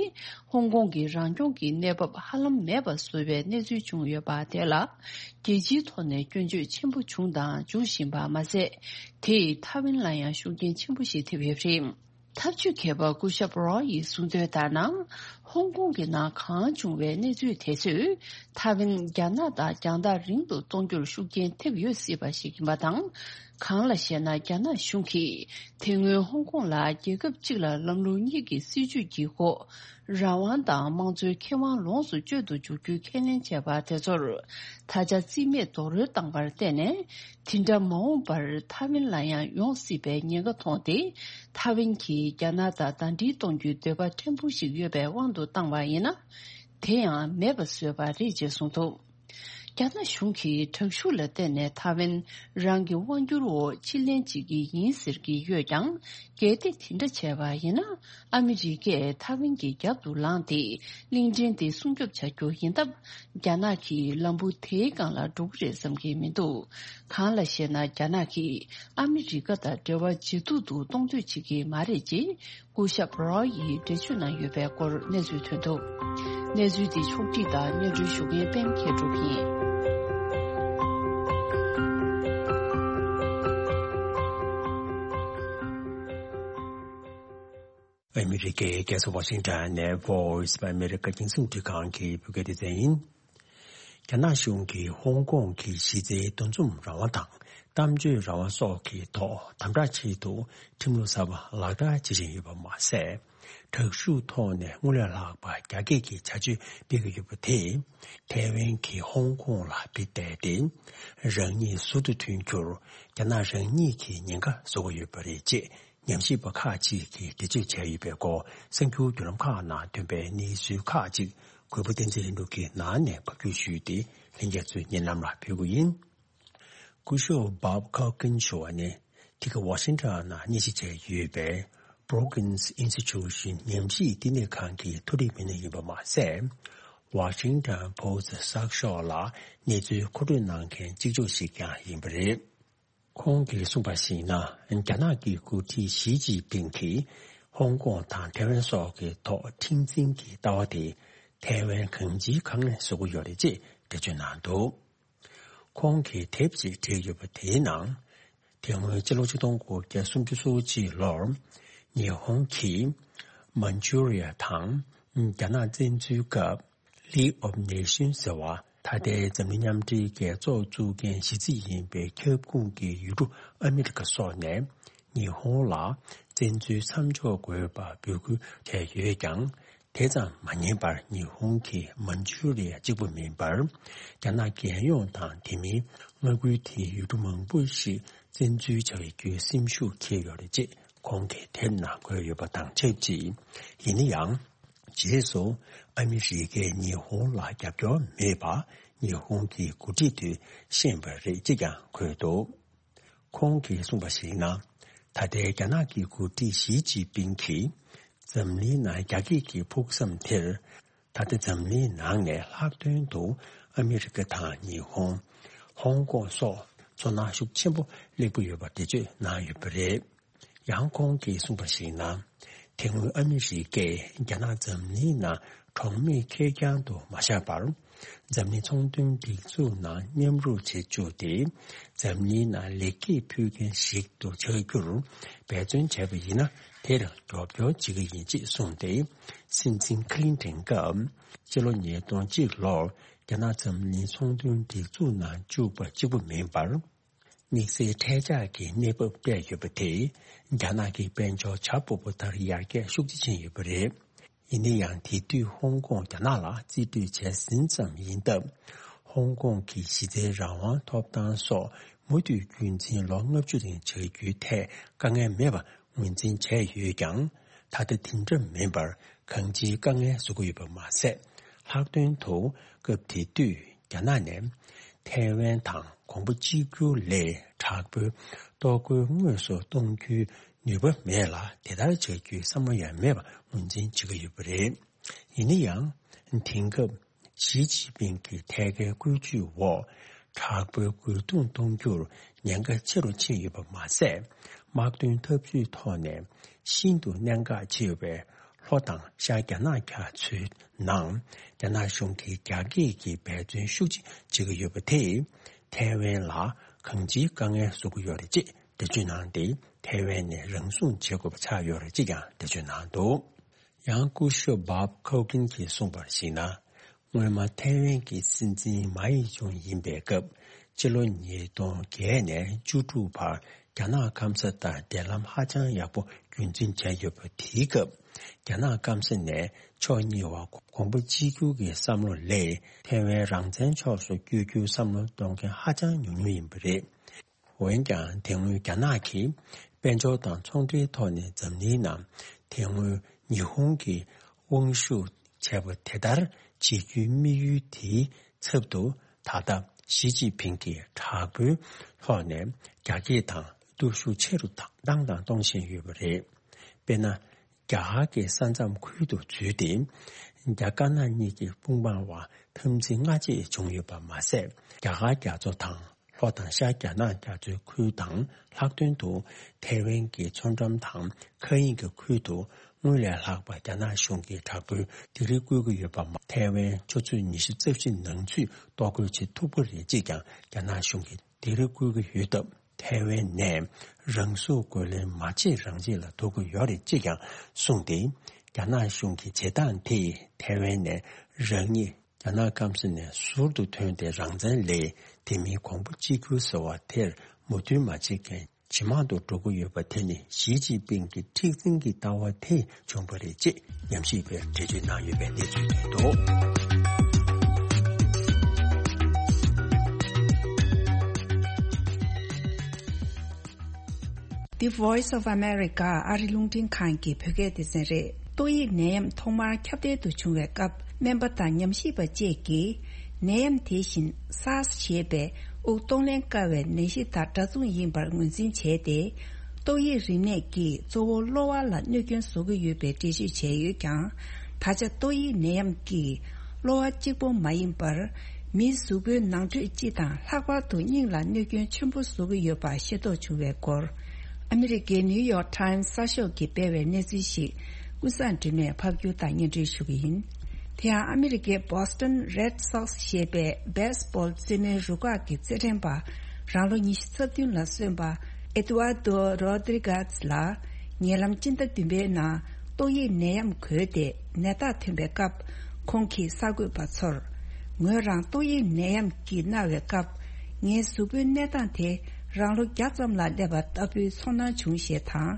ཧོང་ཀོང་གི་རང་སྐྱོང་གི་གནས་བབ་ཧ་ལམ་མེད་པ་བཟོ་བའི་གནས་ཚུལ་བྱུང་ཡོད་པ་དེ་ལ། རྒྱལ་སྤྱིའི་ཐོག་ནས་སྐྱོན་བརྗོད་ཆེན་པོ་བྱུང་དང་འབྱུང་བཞིན་པ་མ་ཟད། དེས་ཐའེ་ཝན་ལ་ཡང་ཤུགས་རྐྱེན་ཆེན་པོ་ཞིག་ཐེབས་ཡོད་པ་རེད། འཐབ་ཇུས་མཁས་པ་སྐུ་ཞབས་རོ་ཡིས་གསུངས་དོན་ལྟར་ན། ཧོང་ཀོང་གི་ནང་གང་བྱུང་བའི་གནས་ཚུལ་དེ་ཚོས་ཐའེ་ཝན་རྒྱ་ནག་དང་རྒྱང་ཐག་རིང་དུ་གཏོང་རྒྱུར་ཤུགས་རྐྱེན་ཐེབས་ཡོད་སྲིད་པ་ཞིག་ཡིན་པ་དང་། གང་ལ་ཞེ་ན། རྒྱ་ནག་གཞུང་གིས་དེ་སྔོན་ཧོང་ཀོང་ལ་རྒྱལ་ཁབ་གཅིག་ལ་ལམ་ལུགས་གཉིས་ཀྱི་སྲིད་བྱུས་ཀྱི་འོག་རང་དབང་དང་དམངས་གཙོའི་ཁེ་དབང་ལོངས་སུ་སྤྱོད་དུ་འཇུག་རྒྱུའི་ཁས་ལེན་བྱས་པ་དེ་ཚོར། ད་ཆ་རྩིས་མེད་རྡོག་རོལ་བཏང་བར་བརྟེན་ནས། དེ་འདྲ་མ་འོངས་པར་ཐའེ་ཝན་ལ་ཡང་ཡོང་སྲིད་པའི་ཉེན་ཁ་མཐོང་སྟེ། ཐའེ་ཝན་གྱིས་རྒྱ་ནག་དང་ཟླ་སྒྲིལ་གཏོང་རྒྱུའི་འདོད་པ་ཕྲན་བུ་ཞིག་ཡོད་པའི་དབང་དུ་བཏང་བ་ཡིན་ན། དེ་ཡང་མེད་པ་བཟོས་པ་རེད་ཅེས་གསུངས་འདུག་རྒྱ་ནག་གཞུང་གིས་དྲག་ཤུགས་ལ་བརྟེན་ནས་ཐའེ་ཝན་རང་གི་དབང་སྒྱུར་འོག་ཕྱིར་ལེན་བྱེད་ཀྱི་ཡིན་ཟེར་གྱི་ཡོད་ཀྱང་། གལ་ཏེ་དེ་འདྲ་བྱས་པ་ཡིན་ན། ཨ་མི་རི་ཀས་ཐའེ་ཝན་གྱི་རྒྱབ་ཏུ་ལངས་ཏེ། གླིང་ཕྲན་དེ་སྲུང་སྐྱོབ་བྱ་རྒྱུ་ཡིན་སྟབས། རྒྱ་ནག་གིས་ལམ་བུ་དེའི་སྒང་ལ་འགྲོ་གི་རེད་བསམ་གྱི་མི་འདུག་གང་ལ་ཞེ་ན། རྒྱ་ནག་གིས་ཨ་མི་རི་ཀ་དང་འབྲེལ་བ་ཇེ་སྡུག་ཏུ་གཏོང་འདོད་བྱེད་ཀྱི་མ་རེད་ཅེས། སྐུ་ཞབས་རོ་ཡིས་འགྲེལ་བརྗོད་གནང་ཡོད་པའི་སྐོར་གནས་ཚུལ་ཐོན་འདུག་གནས་ཚུལ་འདི་ཕྱོགས་བསྒྲིགས་དང་སྙན་སྒྲོན་ཞུ་མཁན་པད་མ་མཁས་གྲུབ་ཡིན། ཨ་མི་རི་ཀའི་རྒྱལ་ས་ཝ་ཤིང་ཊོན་ནས་Voice of America རྒྱང་སྲིང་རླུང་འཕྲིན་ཁང་གི་བོད་སྐད་སྡེ་ཚན་ཡིན། རྒྱ་ནག་གཞུང་གིས་ཧོང་ཀོང་གི་གཞི་རྩའི་འདུ་འཛོམས་རང་དབང་དང་གཏམ་བརྗོད་རང་དབང་སོགས་ཀྱི་ཐོག་དམ་དྲག་ཆེད་དུ་ཁྲིམས་ལུགས་གསར་པ་ལག་བསྟར་བྱེད་བཞིན་ཡོད་པ་མ་ཟད། དྲག་ཤུགས་ཐོག་ནས་དངུལ་ལས་ལྷག་པ་རྒྱ་སྐྱེད་ཀྱི་བྱ་སྤྱོད་སྤེལ་གྱི་ཡོད་པ་དེས། ཐའེ་ཝན་གྱིས་ཧོང་ཀོང་ལ་དཔེ་བལྟས་ཏེ། རང་ཉིད་ཟུར་དུ་ཐོན་རྒྱུར་རྒྱ་ནག་རང་ཉིད་ཀྱིས་ཉེན་ཁ་བཟོ་གི་ཡོད་པ་རེད་ཅེས། ཉམས་ཞིབ་པ་ཁག་ཅིག་གིས་འགྲེལ་བརྗོད་བྱས་ཡོད་པའི་སྐོར། གསར་འགྱུར་བརྒྱུད་ལམ་ཁག་ནང་ཐོན་པའི་གནས་ཚུལ་ཁག་ཅིག་གུས་པ་བསྟན་འཛིན་ལྷུན་གྲུབ་ཀྱིས་ནང་ནས་ཕབ་སྒྱུར་ཞུས་ཏེ། ལྷན་རྒྱས་ཚོའི་སྙན་ལམ་ལ་ཕུལ་གྱི་ཡིན། སྐུ་ཞབས་Bob Coggin མཆོག་ནི་དེ་ག་ཝ་ཤིང་ཊོན་ནང་གནས་གཞི་བྱས་ཡོད་པའི་Brookings Institution ཉམས་ཞིབ་བསྟི་གནས་ཁང་གི་མཐོ་རིམ་མི་སྣ་ཡིན་པ་མ་ཟད། Washington Post གསར་ཤོག་ལ་གནས་ཚུལ་མཁོ་སྤྲོད་གནང་མཁན་གཅིག་ལྕོགས་ཤིག་ཀྱང་ཡིན་པ་རེད། ཁོང་གིས་གསུངས་པར་གཞིགས་ན། རྒྱ་ནག་གི་འགོ་ཁྲིད་ཞི་ཅིན་ཕིང་གིས་ཧོང་ཀོང་དང་ཐའེ་ཝན་སོགས་ཀྱི་ཐོག་མཁྲེགས་འཛིན་གྱི་ལྟ་བ་དེ་ཐའེ་ཝན་གང་ཅིའི་དཀའ་ངལ་བཟོ་གི་ཡོད་རེད་ཅེས་འགྲེལ་བརྗོད་གནང་འདུག་ཁོང་གིས་དེབ་ཅིག་བྲིས་ཡོད་པ་དེའི་ནང་། དེ་སྔོན་ཕྱི་ལོ་ཆིག་སྟོང་དགུ་བརྒྱ་སུམ་ཅུ་སོ་གཅིག་ལོར་ཉི་ཧོང་གིས་མན་ཇུ་རི་ཡ་དང་རྒྱ་ནག་བཙན་འཛུལ་སྐབས། League of Nations ཟེར་བ། ད་ལྟའི་འཛམ་གླིང་མཉམ་འབྲེལ་རྒྱལ་ཚོགས་བཙུགས་མཁན་གཞི་རྩ་ཡིན་པའི་ཁྱབ་ཁོངས་ཀྱི་ཡུལ་གྲུ་ཨ་མི་རི་ཀ་སོགས་ནས་ཉི་ཧོང་ལ་བཙན་འཛུལ་མཚམས་འཇོག་དགོས་པ་འབོད་སྐུལ་བྱས་ཡོད་ཀྱང་། དེ་ཙམ་མ་ཉན་པར་ཉི་ཧོང་གིས་མན་ཇུ་རི་ཡ་གཅིག་པུ་མིན་པར། རྒྱ་ནག་རྒྱལ་ཡོངས་དང་དེ་མིན་མངའ་ཁུལ་དེའི་ཡུལ་གྲུ་མང་པོ་ཞིག་བཙན་འཛུལ་བྱ་རྒྱུའི་སེམས་ཤུགས་འཁྱེར་ཡོད་རེད་ཅེས་ཁོང་གིས་དེབ་ནང་འཁོད་ཡོད་པ་དང་ཆབས་ཅིག་ཡིན་ན་ཡང་། རྗེས་སུ་ཨ་མི་རི་ཀས་ཉི་ཧོང་ལ་རྒྱབ་སྐྱོར་མེད་པ་ཉི་ཧོང་གི་འགོ་ཁྲིད་ཚོས་ཤེས་པ་རེད་ཅེས་ཀྱང་འཁོད་འདུག་ཁོང་གིས་གསུངས་པར་གཞིགས་ན། ད་ལྟའི་རྒྱ་ནག་གི་འགོ་ཁྲིད་ཞི་ཅིན་ཕིང་གིས་འཛམ་གླིང་ནང་རྒྱ་སྐྱེད་ཀྱི་ཕུགས་བསམ་དེར། ད་ལྟ་འཛམ་གླིང་ནང་ནས་ལྷག་དོན་དུ་ཨ་མི་རི་ཀ་དང་ཉི་ཧོང་། ཧོང་ཀོང་སོགས་ཚོར་སྣང་ཤུགས་ཆེན་པོ་སླེབས་ཀྱི་ཡོད་པ་འགྲེལ་བརྗོད་གནང་ཡོད་པ་རེད། ཡང་ཁོང་གིས་གསུངས་པར་གཞིགས་ན། དེ་སྔོན་ཨ་མི་རི་ཀས་རྒྱ་ནག་འཛམ་གླིང་ནང་གྲོགས་མེད་ཁེར་རྐྱང་དུ་མ་བཞག་པར། འཛམ་གླིང་ཚོང་དོན་སྒྲིག་འཛུགས་ནང་མཉམ་རུབ་བྱེད་བཅུག་སྟེ། འཛམ་གླིང་ནང་ལེགས་སྐྱེས་ཕུལ་མཁན་ཞིག་ཏུ་ཆགས་རྒྱུར་འབད་བརྩོན་བྱས་པ་ཡིན་ན། དེར་རྒྱབ་སྐྱོར་བྱེད་ཀྱི་ཡིན་ཅེས་གསུངས་ཏེ། སྲིད་འཛིན་ཁི་ལིན་ཏོན་སྐབས་ཕྱི་ལོ་ཉིས་སྟོང་གཅིག་ལོར་རྒྱ་ནག་འཛམ་གླིང་ཚོང་དོན་སྒྲིག་འཛུགས་ནང་བཅུག་པ་གཅིག་པུ་མིན་པར། དམིགས་བསལ་འཕྲལ་འཆར་གྱི་གནས་བབ་སྤྲད་ཡོད་པ་དེས་རྒྱ་ནག་གི་དཔལ་འབྱོར་བྱ་སྤོ་བོ་ལྟར་ཡར་རྒྱས་ཤུགས་ཆེ་ཕྱིན་ཡོད་པ་རེད། ཡིན་ན་ཡང་དེ་དུས་ཧོང་ཀོང་རྒྱ་ནག་ལ་རྩིས་སྤྲོད་བྱས་ཟིན་ཙམ་ཡིན་སྟབས། ཧོང་ཀོང་གི་གཞི་རྩའི་རང་དབང་ཐོབ་ཐང་སོགས་མུ་མཐུད་རྒྱུན་འཛིན་ལོ་ལྔ་བཅུ་རིང་བྱ་རྒྱུའི་ཐད་དཀའ་ངལ་མེད་པ་ངོས་འཛིན་བྱས་ཡོད་ཀྱང་། ད་ལྟ་དེ་འདྲ་མིན་པར་གང་ཅིའི་དཀའ་ངལ་བཟོ་གི་ཡོད་པ་མ་ཟད། ལྷག་དོན་དུ་སྐབས་དེ་དུས་རྒྱ་ནག་ནས་ཐའེ་ཝན་དང་གོང་བུ་གཅིག་གྱུར་ལས་དྲག་པོའི་ལྟོ་གོས་དངོས་སུ་གཏོང་རྒྱུའི་ནུས་པ་མེད་ལ། དེ་ལྟར་བྱ་རྒྱུའི་བསམ་བློ་ཡང་མེད་པ་ངོས་འཛིན་བྱེད་ཀྱི་ཡོད་པ་རེད། ཡིན་ན་ཡང་། དེང་སྐབས་ཞི་ཅིན་ཕིང་གི་ཐད་ཀའི་བཀོད་ཇུས་འོག་དྲག་པོའི་རྒོལ་རྡུང་གཏོང་རྒྱུར་ཉེན་ཁ་ཆེ་རུ་ཕྱིན་ཡོད་པ་མ་ཟད། དམག་དོན་འཐབ་ཇུས་ཐོག་ནས་ཤིན་ཏུ་གནད་འགག་ཆེ་བའི་ལྷོ་དང་ཤར་རྒྱ་ནག་རྒྱ་མཚོའི་ནང་རྒྱ་ནག་གཞུང་གིས་རྒྱ་སྐྱེད་ཀྱི་འབད་བརྩོན་ཤུགས་ཆེ་བྱེད་ཀྱི་ཡོད་པ་དེས་ཐའེ་ཝན་ལ་གང་ཅིའི་དཀའ་ངལ་བཟོ་གི་ཡོད་རེད་ཅེས་འགྲེལ་བརྗོད་གནང་སྟེ། ཐའེ་ཝན་ནས་རང་སྲུང་བྱེད་དགོས་པ་ཆགས་ཡོད་རེད་ཅེས་ཀྱང་འགྲེལ་བརྗོད་གནང་འདུག། ཡང་སྐུ་ཞབས་བྷབ་ཁའོ་ཀིན་གྱིས་གསུངས་པར་གཞིགས་ན། སྔོན་མ་ཐའེ་ཝན་གྱི་སྲིད་འཛིན་མཱ་ཡི་ཅུང་ཡིན་པའི་སྐབས། སྤྱི་ལོ་ཉིས་སྟོང་བརྒྱད་ནས་བཅུ་དྲུག་བར་རྒྱ་ནག་སྐམ་ས་དང་འབྲེལ་ལམ་ཧ་ཅང་ཡག་པོ་རྒྱུན་འཛིན་བྱས་ཡོད་པ། དེའི་སྐབས་རྒྱ་ནག་སྐམ་ས་ནས་ཕྱོགས་གཉིས་བར་གོང་བུ་གཅིག་གྱུར་གྱི་བསམ་བློ་ལས་ཐའེ་ཝན་རང་བཙན་ཕྱོགས་སུ་བསྐྱོད་རྒྱུའི་བསམ་བློ་གཏོང་མཁན་ཧ་ཅང་ཉུང་ཉུང་ཡིན་པ་རེད། འོན་ཀྱང་དེ་སྔོན་རྒྱ་ནག་གིས་དཔལ་འབྱོར་དང་ཚོང་འབྲེལ་ཐོག་ནས་འཛམ་གླིང་ནང་དེ་སྔོན་ཉི་ཧོང་གི་དབང་ཤུགས་བྱས་པ་དེ་ལྟར་བྱེད་རྒྱུའི་དམིགས་ཡུལ་དེའི་ཚབ་ཏུ། ད་ལྟ་ཞི་ཅིན་ཕིང་གིས་དྲག་པོའི་ཐོག་ནས་རྒྱ་སྐྱེད་དང་སྟོབས་ཤུགས་ཆེ་རུ་བཏང་དང་གཏོང་བཞིན་ཡོད་པ་རེད། དཔེར་ན། རྒྱ་གར་གྱི་ས་མཚམས་ཁུལ་དུ་འཛུལ་ཏེ། རྒྱ་དཀར་ནག་གཉིས་ཀྱི་དཔུང་དམག་དབར་འཐབ་འཛིང་སྔ་རྗེས་བྱུང་ཡོད་པ་མ་ཟད། རྒྱ་གར་རྒྱ་མཚོ་དང་ལྷོ་དང་ཤར་རྒྱ་ནག་རྒྱ་མཚོའི་ཁུལ་དང་ལྷག་དོན་དུ་ཐའེ་ཝན་གྱི་མཚོ་འགྲམ་དང་མཁའ་དབྱིངས་ཀྱི་ཁུལ་དུ་སྔོན་ལས་ལྷག་པ་རྒྱ་ནག་གཞུང་གིས་དྲག་པོའི་སྡིགས་ར་བསྐུལ་གྱི་ཡོད་པ་མ། ཐའེ་ཝན་ཆུ་ཚོད་ཉི་ཤུ་རྩ་བཞི་ནང་ཚུད་གཏོར་རྒོལ་བྱེད་ཐུབ་ཀྱི་རེད་ཅེས་ཀྱང་རྒྱ་ནག་གཞུང་གིས་སྡིགས་ར་བསྐུལ་གྱི་ཡོད་སྟབས། ཐའེ་ཝན་ནས་རང་སྲུང་རྒོལ་ལན་མ་བྱེད་རང་བྱེད་ལ་ཐུག་གི་ཡོད་རེད་ཅེས་ཀྱང་གསུངས་ཏེ། རྒྱ་ནག་གཞུང་གི་བྱེད་སྟངས་དེས་ཐའེ་ཝན་ནས་རང་ཉིད་རྒྱ་ནག་སྐམ་ས་ནས་ཟུར་དུ་ཐོན་ཏེ་རང་བཙན་ལས་དེ་མིན་གོང་བུ་གཅིག་གྱུར་ཟེར་བ་དེར་མོས་མཐུན་མ་བྱེད་མཁན་ཇེ་མང་དུ་འགྲོ་གི་ཡོད་པ་དེ་ནི་ཞི་ཅིན་ཕིང་གི་མཁྲེགས་འཛིན་གྱི་ལྟ་བ་དེས་བྱུང་བ་རེད་ཅེས་ཉམས་ཞིབ་པས་འགྲེལ་བརྗོད་གནང་ཡོད་པའི་གནས་ཚུལ་ཐོན་འདུག། The Voice of America ཨ་རི་རླུང་འཕྲིན་ཁང་གི་བོད་སྐད་སྡེ་ཚན་རེད། ཏོག་དབྱིབས་ནད་ཡམས་ཐོག་མར་ཁྱབ་གདལ་དུ་བྱུང་བའི་སྐབས། སྨན་པ་དང་ཉམས་ཞིབ་པ་བཅས་ཀྱིས་ནད་ཡམས་དེ་བཞིན་སཱར་སི་ཞེས་པའི་དབུགས་གཏོང་ལེན་དཀའ་བའི་ནད་གཞི་དང་འདྲ་མཚུངས་ཡིན་པར་ངོས་འཛིན་བྱས་ཏེ། ཏོག་དབྱིབས་རིམས་ནད་ཀྱིས་གཙོ་བོ་གློ་བ་ལ་གནོད་སྐྱོན་བཟོ་གི་ཡོད་པའི་འགྲེལ་བརྗོད་བྱས་ཡོད་ཀྱང་། ད་ཆ་ཏོག་དབྱིབས་ནད་ཡམས་ཀྱིས་གློ་བ་གཅིག་པོ་མ་ཡིན་པར། མིའི་གཟུགས་པོའི་ནང་ཁྲོད་སྤྱི་དང་ལྷག་པར་དུ་སྙིང་ལ་གནོད་སྐྱོན་ཆེན་པོ་བཟོ་གི་ཡོད་པ་ཤེས་རྟོགས་བྱུང་བའི་སྐོར། ཨ་མི་རི་ཀའི་ནིའུ་ཡོག་ཊའིམ་གསར་ཤོག་གིས་སྤེལ་བའི་གནས་ཚུལ་ཞིག་ཀུན་བཟང་སྒྲོལ་མས་ཕབ་སྒྱུར་དང་སྙན་སྒྲོན་ཞུ་གི་ཡིན། དེ་ཡང་ཨ་མི་རི་ཀའི་Boston Red Sox ཞེས་པའི་བེ་སི་བྷོལ་རྩེད་མོའི་རུ་ཁག་གི་རྩེད་འགྲན་པ། རང་ལོ་ཉི་ཤུ་རྩ་བདུན་ལ་སོན་པ་Eduardo Rodriguez ལ་ཉེ་ལམ་སྤྱི་ཟླ་བདུན་པའི་ནང་ཏོག་དབྱིབས་ནད་ཡམས་འགོས་ཏེ་ནད་རྟགས་ཐོན་པའི་སྐབས། ཁོང་གིས་གསར་འགོད་པ་ཚོར། ངོས་རང་ཏོག་དབྱིབས་ནད་ཡམས་ཀྱིས་མནར་བའི་སྐབས། ངའི་གཟུགས་པོའི་གནས་སྟངས་དེ་རང་ལོ་བརྒྱ་ཙམ་ལ་སླེབས་པ་ལྟ་བུའི་ཚོར་སྣང་བྱུང་ཞེས་དང་།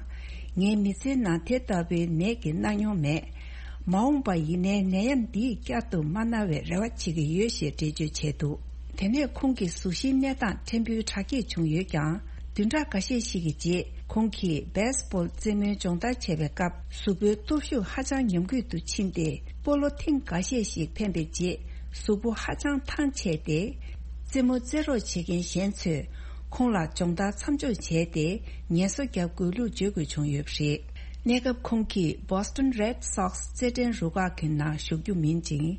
ངའི་མི་ཚེའི་ནང་དེ་ལྟ་བུའི་ནད་ཀྱིས་མནར་མྱོང་མེད། མ་འོངས་པ་ཡིན་ནའི་ནད་ཡམས་འདིས་བསྐྱར་དུ་མ་མནར་བའི་རེ་བ་བྱེད་ཀྱི་ཡོད་ཞེས་འགྲེལ་བརྗོད་བྱས་འདུག། དེ་ནས་ཁོང་གི་གཟུགས་གཞིའི་གནས་སྟངས་ཕྲན་བུ་དྲག་སྐྱེད་བྱུང་ཡོད་ཀྱང་། བདུན་ཕྲག་འགའ་ཤས་ཤིག་གི་རྗེས་ཁོང་གིས་བེ་སི་བྷོལ་རྩེད་མོའི་སྦྱོང་བརྡར་བྱས་པའི་སྐབས། གཟུགས་པོའི་སྟོབས་ཤུགས་ཧ་ཅང་ཉམས་རྒུད་དུ་ཕྱིན་ཏེ། སྤོ་ལོ་ཐེངས་འགའ་ཤས་ཤིག་འཕེན་པའི་རྗེས། གཟུགས་པོ་ཧ་ཅང་ཐང་ཆད་དེ། རྩེད་མོ་རྩེད་རོགས་བྱེད་མཁན་གཞན་ཚོས་ཁོང་ལ་སྦྱོང་བརྡར་མཚམས་འཇོག་བྱས་ཏེ། ངལ་གསོ་རྒྱག་དགོས་ལུགས་བརྗོད་དགོས་བྱུང་ཡོད་པ་རེད། གནས་སྐབས་ཁོང་གིས་Boston Red Sox རྩེད་འགྲན་རུ་ཁག་གི་ནང་ཞུགས་རྒྱུ་མིན་ཅིང་།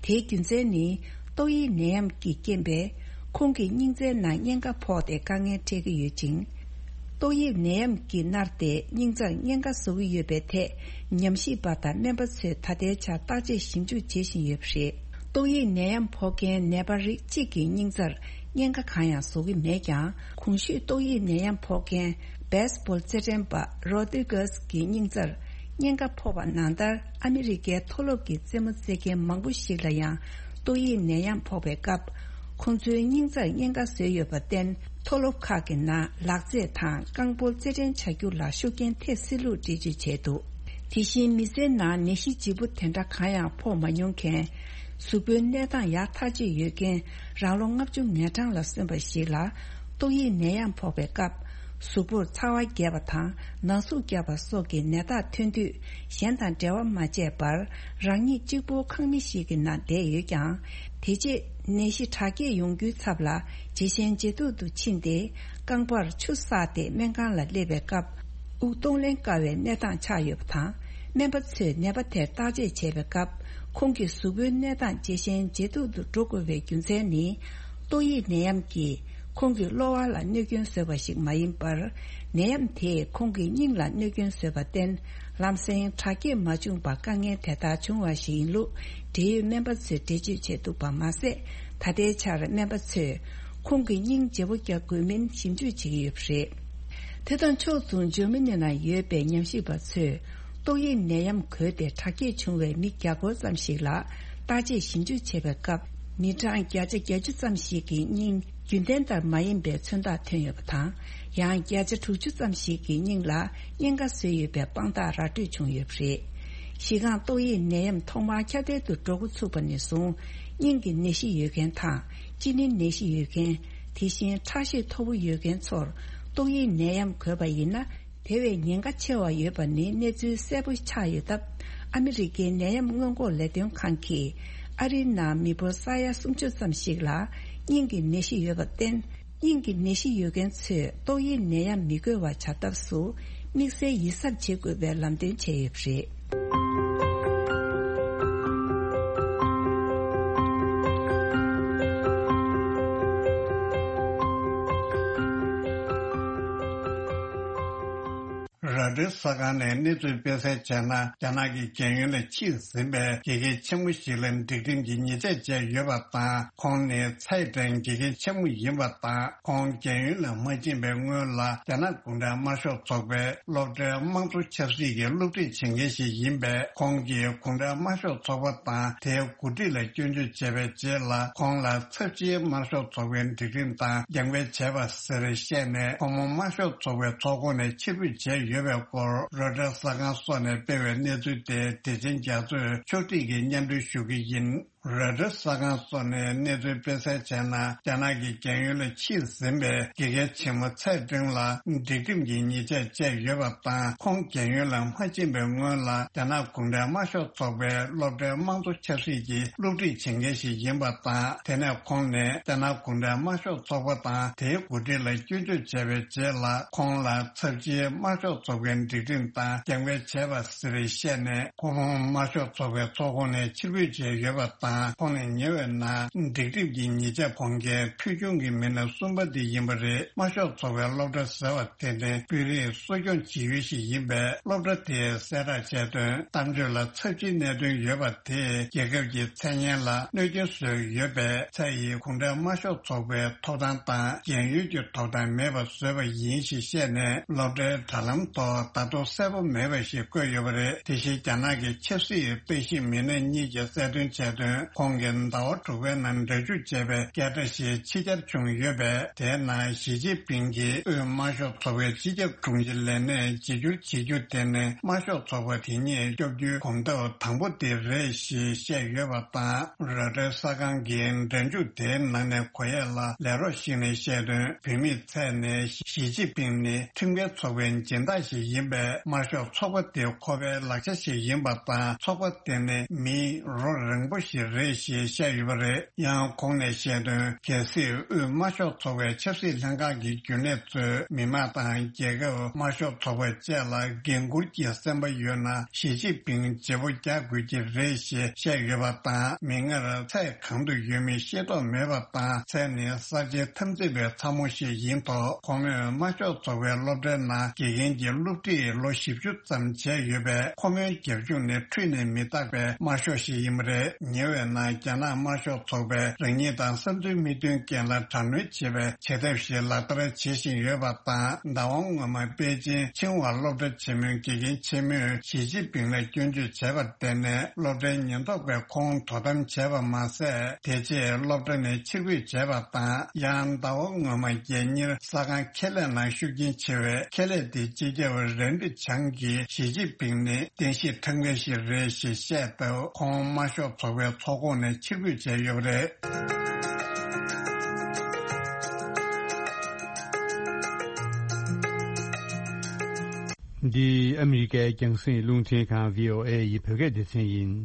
དེའི་རྒྱུ་མཚན་ནི། ཏོག་དབྱིབས་ནད་ཡམས་ཀྱི་རྐྱེན་པས། ཁོང་གི་སྙིང་རྩའི་ནང་གཉན་ཁ་ཕོག་སྟེ་དཀའ་ངལ་འཕྲད་ཀྱི་ཡོད་ཅིང་། ཏོག་དབྱིབས་ནད་ཡམས་ཀྱིས་མནར་ཏེ་སྙིང་རྩར་གཉན་ཁ་བཟོ་གི་ཡོད་པའི་ཐད། ཉམས་ཞིབ་པ་དང་སྨན་པ་ཚོས་ད་ལྟའི་ཆར་བརྟག་དཔྱད་ཞིབ་འཇུག་བྱེད་བཞིན་ཡོད་པ་རེད། ཏོག་དབྱིབས་ནད་ཡམས་ཕོག་མཁན་ནད་པ་རིགས་གཅིག་གི་སྙིང་རྩར་གཉན་ཁ་གང་ཡང་བཟོ་གི་མེད་ཀྱང་། གོང་ཞུས་ཏོག་དབྱིབས་ནད་ཡམས་ཕོག་མཁན་བེ་སི་བྷོལ་རྩེད་འགྲན་པ་རོ་དི་གྷེ་སི་གི་སྙིང་རྩར་གཉན་ཁ་ཕོག་པ་ནང་ལྟར། ཨ་མི་རི་ཀའི་མཐོ་སློབ་ཀྱི་རྩེད་མོ་རྩེད་མཁན་མང་པོ་ཞིག་ལ་ཡང་ཏོག་དབྱིབས་ནད་ཡམས་ཕོག་པའི་སྐབས། ཁོང་ཚོའི་སྙིང་རྩར་གཉན་ཁ་བཟོས་ཡོད་པར་བརྟེན། མཐོ་སློབ་ཁག་གི་ནང་ལག་རྩེད་དང་རྐང་སྤོལ་རྩེད་འགྲན་བྱ་རྒྱུ་ལ་ཤུགས་རྐྱེན་ཐེབས་སྲིད་ལུགས་འགྲེལ་བརྗོད་བྱས་འདུག། དེ་བཞིན་མི་ཚེའི་ནང་ནད་གཞི་ལྗིད་པོ་དེ་འདྲ་གང་ཡང་ཕོག་མ་མྱོང་མཁན། གཟུགས་པོའི་གནས་སྟངས་ཡག་ཐག་ཆོད་ཡོད་མཁན། རང་ལོ་ལྔ་བཅུ་ང་གྲངས་ལ་སོན་པ་ཞིག་ལ་ཏོག་དབྱིབས་ནད་ཡམས་ཕོག་པའི་སྐབས། གཟུགས་པོར་ཚ་བ་རྒྱས་པ་དང་ན་ཟུག་རྒྱག་པ་སོགས་ཀྱི་ནད་རྟགས་ཐོན་དུས། གཞན་དང་འབྲེལ་བ་མ་བྱས་པར་རང་ཉིད་གཅིག་པུ་ཁང་མིག་ཞིག་གི་ནང་བསྡད་ཡོད་ཀྱང་། དེ་རྗེས་ནད་གཞི་དྲག་སྐྱེད་ཡོང་རྒྱུའི་ཚབ་ལ་ཇེ་ཞན་ཇེ་སྡུག་ཏུ་ཕྱིན་ཏེ། རྐང་པར་ཆུ་བསགས་ཏེ་སྨན་ཁང་ལ་སླེབས་པའི་སྐབས། དབུགས་གཏོང་ལེན་དཀའ་བའི་གནས་སྟངས་ཆགས་ཡོད་པ་དང་། སྨན་པ་ཚོས་ནད་པ་དེར་བརྟག་དཔྱད་བྱས་པའི་སྐབས། ཁོང་གི་གཟུགས་པོའི་གནས་སྟངས་ཇེ་ཞན་ཇེ་སྡུག་ཏུ་འགྲོ་དགོས་པའི་རྒྱུ་མཚན་ནི། ཏོག་དབྱིབས་ནད་ཡམས་ཀྱིས་ཁོང་གི་གློ་བ་ལ་གནོད་སྐྱོན་བཟོས་པ་ཞིག་མ་ཡིན་པར། ནད་ཡམས་དེས་ཁོང་གི་སྙིང་ལ་གནོད་སྐྱོན་བཟོས་པར་བརྟེན། ལམ་སེང་དྲག་སྐྱེད་མ་བྱུང་བར་དཀའ་ངལ་དེ་ལྟར་བྱུང་བ་ཞིག་ཡིན་ལུགས་འབྲེལ་ཡོད་སྨན་པ་ཚོས་འགྲེལ་བརྗོད་བྱས་འདུག་པ་མ་ཟད། ད་ལྟའི་ཆར་སྨན་པ་ཚོས་ཁོང་གི་སྙིང་བརྗེ་པོ་རྒྱག་དགོས་མིན་ཞིབ་འཇུག་བྱེད་ཀྱི་ཡོད་པ་རེད། དེ་དང་ཕྱོགས་མཚུངས་འཇར་མ་ནི་ནང་ཡོད་པའི་ཉམས་ཞིབ་པ་ཚོས་ཏོག་དབྱིབས་ནད་ཡམས་འགོས་ཏེ་དྲག་སྐྱེད་བྱུང་བའི་མི་བརྒྱ་སྐོར་ཙམ་ཞིག་ལ་བརྟག་དཔྱད་ཞིབ་འཇུག་བྱས་པའི་སྐབས། མི་གྲངས་བརྒྱ་ཆ་བརྒྱད་ཅུ་ཙམ་ཞིག་གི་སྙིང་རྒྱུན་ལྡན་ལྟར་མ་ཡིན་པའི་མཚོན་རྟགས་ཐོན་ཡོད་པ་དང་། ཡང་བརྒྱ་ཆ་དྲུག་ཅུ་ཙམ་ཞིག་གི་སྙིང་ལ་གཉན་ཁ་བཟོས་ཡོད་པའི་དཔང་རྟགས་ར་སྤྲོད་བྱུང་ཡོད་པ་རེད། གཞི་རྐང་ཏོག་དབྱིབས་ནད་ཡམས་ཐོག་མར་ཁྱབ་གདལ་དུ་འགྲོ་འགོ་ཚུགས་པ་ནས་བཟུང་། སྙིང་གི་ནད་གཞི་ཡོད་མཁན་དང་། གཅིན་སྙིའི་ནད་གཞི་ཡོད་མཁན། དེ་བཞིན་ཁྲག་ཤེད་མཐོ་པོ་ཡོད་མཁན་ཚོར་ཏོག་དབྱིབས་ནད་ཡམས་འགོས་པ་ཡིན་ན། དེ་བས་ཉེན་ཁ་ཆེ་བ་ཡོད་པ་ནི་གནས་ཚུལ་གསལ་པོ་ཆགས་ཡོད་སྟབས། ཨ་མི་རི་ཀའི་ནད་ཡམས་སྔོན་འགོག་ལས་དོན་ཁང་གིས་ཨ་རིའི་ནང་མི་འབོར་ས་ཡ་སུམ་ཅུ་ཙམ་ཞིག་ལ་སྙིང་གི་ནད་གཞི་ཡོད་པར་བརྟེན། སྙིང་གི་ནད་གཞི་ཡོད་མཁན་ཚོས་ཏོག་དབྱིབས་ནད་ཡམས་མི་འགོས་པ་བྱ་ཐབས་སུ་དམིགས་བསལ་ཡིད་གཟབ་བྱེད་དགོས་པའི་ལམ་སྟོན་བྱས་ཡོད་པ་རེད། རོའི་ཊར་གསར་ཁང་ནས་གནས་ཚུལ་སྤེལ་གསལ་བྱས་ན། རྒྱ་ནག་གི་རྒྱལ་ཡོངས་ལ་ཕྱིན་ཟིན་པའི་དགེ་རྒན་ཆེན་མོ་ཞིག་ལ་སྒྲིག་ཁྲིམས་ཀྱི་ཉེས་ཆད་བཅད་ཡོད་པ་དང་། ཁོང་ནི་ཚའེ་ཀྲེང་དགེ་རྒན་ཆེན་མོ་ཡིན་པ་དང་། ཁོང་རྒྱལ་ཡོངས་ལ་མ་ཕྱིན་པའི་སྔོན་ལ། རྒྱ་ནག་གུང་ཁྲན་དམར་ཤོག་ཚོགས་པའི་སློབ་གྲྭའི་དམངས་གཙོ་ཆབ་སྲིད་ཀྱི་སློབ་ཁྲིད་བྱེད་མཁན་ཞིག་ཡིན་པས། ཁོང་གིས་གུང་ཁྲན་དམར་ཤོག་ཚོགས་པ་དང་དེའི་འགོ་ཁྲིད་ལ་སྐྱོན་བརྗོད་བྱས་པའི་རྗེས་ལ། ཁོང་ལ་ཚབས་ཆེའི་དམར་ཤོག་ཚོགས་པའི་སྒྲིག་ཁྲིམས་དང་རྒྱབ་འགལ་བྱས་པ་ཟེར་བཤད་ནས། ཁོང་མོ་དམར་ཤོག་ཚོགས་པའི་ཚོགས་ཁོངས་ནས་ཕྱིར་འབུད་བྱས་ཡོད་པའི་སྐོར། རོའི་ཊར་གསར་ཁང་སོགས་ནས་སྤེལ་བའི་གནས་ཚུལ་དེ་བདེ་ཆེན་རྒྱ་མཚོས་ཕྱོགས་སྒྲིག་གིས་སྙན་སྒྲོན་ཞུ་གི་ཡིན། རོའི་ཊར་གསར་ཁང་སོགས་ནས་གནས་ཚུལ་སྤེལ་གསལ་བྱས་ན། རྒྱ་ནག་གི་རྒྱལ་ཡོངས་ལ་ཕྱིན་ཟིན་པའི་དགེ་རྒན་ཆེན་མོ་ཚའེ་ཀྲེང་ལ་སྒྲིག་ཁྲིམས་ཀྱི་ཉེས་ཆད་བཅད་ཡོད་པ་དང་། ཁོང་རྒྱལ་ཡོངས་ལ་མ་ཕྱིན་པའི་སྔོན་ལ། རྒྱ་ནག་གུང་ཁྲན་དམར་ཤོག་ཚོགས་པའི་སློབ་གྲྭའི་དམངས་གཙོ་ཆབ་སྲིད་ཀྱི་སློབ་ཁྲིད་བྱེད་མཁན་ཞིག་ཡིན་པ་དང་། དེ་ནས་ཁོང་ནས་རྒྱ་ནག་གུང་ཁྲན་དམར་ཤོག་ཚོགས་པ་དང་དེའི་འགོ་ཁྲིད་ལ་སྐྱོན་བརྗོད་བྱས་པའི་རྗེས་ལ། ཁོང་ལ་ཚབས་ཆེའི་དམར་ཤོག་ཚོགས་པའི་སྒྲིག་ཁྲིམས་དང་རྒྱབ་འགལ་བྱས་པ་ཟེར་བཤད་ནས། ཁོང་དམར་ཤོག་ཚོགས་པའི་ཚོགས་ཁོངས་ནས་ཕྱིར་འབུད་བྱས་ཡོད་པ་དང་། ཁོང་ནས་ཉེ་བའི་ནང་སྒྲིག་ཁྲིམས་ཀྱི་ཉེས་ཆད་ཕོག་མཁན་ཕུལ་བྱུང་གི་མི་སྣ་གསུམ་པ་དེ་ཡིན་པ་རེད། དམར་ཤོག་ཚོགས་པའི་སློབ་གྲྭ་ཟེར་བ་དེ་ནི་དཔོན་རིགས་གསོ་སྐྱོང་བྱེད་ཡུལ་ཞིག་ཡིན་པས། སློབ་གྲྭ་དེས་གསལ་བསྒྲགས་བྱས་དོན། གཏམ་བརྗོད་ལ་ཚབས་ཆེའི་གནད་དོན་ཡོད་པ་དེས་རྒྱལ་ཁབ་ཀྱི་མཚན་སྙན་ལ་གནོད་སྐྱོན་བཟོས་ཡོད་པས། ཚའེ་ཡིས་གུང་ཁྲན་དམར་ཤོག་ཚོགས་པའི་ཐོབ་ཐང་དང་རྒན་ཡོལ་གྱི་ཐོབ་ཐང་མེད་པ་བཟོས་པ་ཡིན་ཞེས་བཤད་ནས། སློབ་གྲྭའི་དྲ་ལམ་ཐོག་ད་དུང་གསལ་པོ་མེད་པ་ཞིག་བཀོད་ཡོད་པ་རེད། དེ་བཞིན་རྒྱ་ནག་གི་ཆབ་སྲིད་དཔྱད་ཞིབ་མི་སྣ་གཉིས་ཀྱིས་གསལ་སྟོན་བྱས་དོན། ཁོང་གིས་ཟླ་བ་དྲུག་པའི་ནང་སྒྲ་འཇུག་བྱས་པའི་སྐད་སྒྲ་ཞིག་ཕྱི་གྱར་བྱུང་ཡོད་པས། དེའི་ནང་ཞི་ཅིན་ཕིང་གིས་དབུས་དམར་ཤོག་ཚོགས་པའི་སྤྱི་ཁྱབ་དྲུང་ཆེ་ལས་གནས་བརྗེ་བསྒྱུར་བྱེད་རྒྱུ་དེ་ནི་དམར་ཤོག་ཚོགས་པ་དེ་ཉིད་སྐྱོབ་རྒྱུའི་གོམ་སྟབས་དང་པོ་དེ་རེད་ཞེས་བཤད་ཡོད་པ་དང་། རོའི་ཊར་གསར་ཁང་གིས་སྒྲ་འཇུག་དེའི་ནང་ནས་གོ་ཡས་ལ་ལས་རོགས་ཤིག་ནས་བཤད་དོན། བུད་མེད་ཚའེ་ནས་ཞི་ཅིན་ཕིང་ནི་ཁྲིམས་འགལ་ཚོགས་པའི་སྦྱིན་བདག་ཞིག་ཡིན་པས། དམར་ཤོག་ཚོགས་པ་དེ་ཁོ་པའི་ལག་ཆ་ཞིག་ཡིན་པ་དང་། ཚོགས་པ་དེ་ནི་མིའི་རོ་རེངས་པོ་ཞིག་རེད་ཞེས་བཤད་ཡོད་པ་རེད། ཡང་ཁོང་ནས་བཤད་དོན། གལ་སྲིད་དབུས་དམར་ཤོག་ཚོགས་པའི་ཆབ་སྲིད་ལྷན་ཁང་གི་རྒྱུན་ལས་ཚོས་མི་དམངས་དང་རྒྱལ་ཁབ། དམར་ཤོག་ཚོགས་པ་བཅས་ལ་འགན་འཁུར་གྱི་སེམས་པ་ཡོད་ན། ཞི་ཅིན་ཕིང་བརྗེ་པོ་རྒྱག་དགོས་ཀྱི་རེད་ཞེས་བཤད་ཡོད་པ་དང་། མིག་སྔར་ཚའེ་གང་དུ་ཡོད་མེད་ཤེས་རྟོགས་མེད་པ་དང་། ཚའེ་ནི་གསར་བརྗེའི་འཐབ་འཛིང་པའི་ཚ་མོ་ཞིག་ཡིན་ཐོག་ཁོ་མོས་དམར་ཤོག་ཚོགས་པའི་སློབ་གྲྭའི་ནང་དགེ་རྒན་གྱི་སློབ་ཁྲིད་ལོ་བཞི་བཅུ་ཙམ་བྱས་ཡོད་པས། ཁོ་མོའི་རྒྱབ་ལྗོངས་ནི་འཁྲུལ་ནས་མི་རྟག་པའི་དམར་ཤོག་ཞིག་ཡིན་པ་རེད། ཉེ་བའི་ནང་རྒྱ་ནག་དམར་ཤོག་ཚོགས་པས་རང་ཉིད་དང་བསམ་ཚུལ་མི་མཐུན་རྐྱེན་ལ་དྲག་གནོན་བྱེད་པའི་བྱེད་ཐབས་ཤིག་ལག་བསྟར་བྱེད་བཞིན་ཡོད་པ་དང་། ཟླ་བ་སྔོན་མ་པེ་ཅིན་ཆིང་ཧྭ་སློབ་གྲྭ་ཆེན་མོའི་དགེ་རྒན་ཆེན་མོས་ཞི་ཅིན་ཕིང་ལ་སྐྱོན་བརྗོད་བྱས་པར་བརྟེན་ནས། སློབ་གྲྭའི་ཉེན་རྟོག་པས་ཁོང་དོ་དམ་བྱས་པ་མ་ཟད། དེ་རྗེས་སློབ་གྲྭ་ནས་ཕྱིར་འབུད་བྱས་པ་དང་། ཡང་ཟླ་བ་སྔོན་མ་རྒྱལ་གཉེར་གསར་ཁང་ཁེ་ལས་ནང་ཤུགས་རྐྱེན་ཆེ་བའི་ཁེ་ལས་དེའི་སྤྱི་ཁྱབ་རན་ཀྲི་ཆང་གིས་ཞི་ཅིན་ཕིང་ནི་བསྟན་བཤིག་ཁྲིམས་འགལ་ཞིག་རེད་ཞེས་བཤད་སྟབས། ཁོང་དམར་ཤོག་ཚོགས་པའི་ཚོགས་ཁོངས་ནས་ཕྱིར་འབུད་བྱས་ཡོད་པ་རེད། འདི་ཨ་མི་རི་ཀའི་རྒྱང་སྲིང་རླུང་འཕྲིན་ཁང་བྷི་ཨོ་ཨེ་ཡི་བོད་སྐད་སྡེ་ཚན་ཡིན།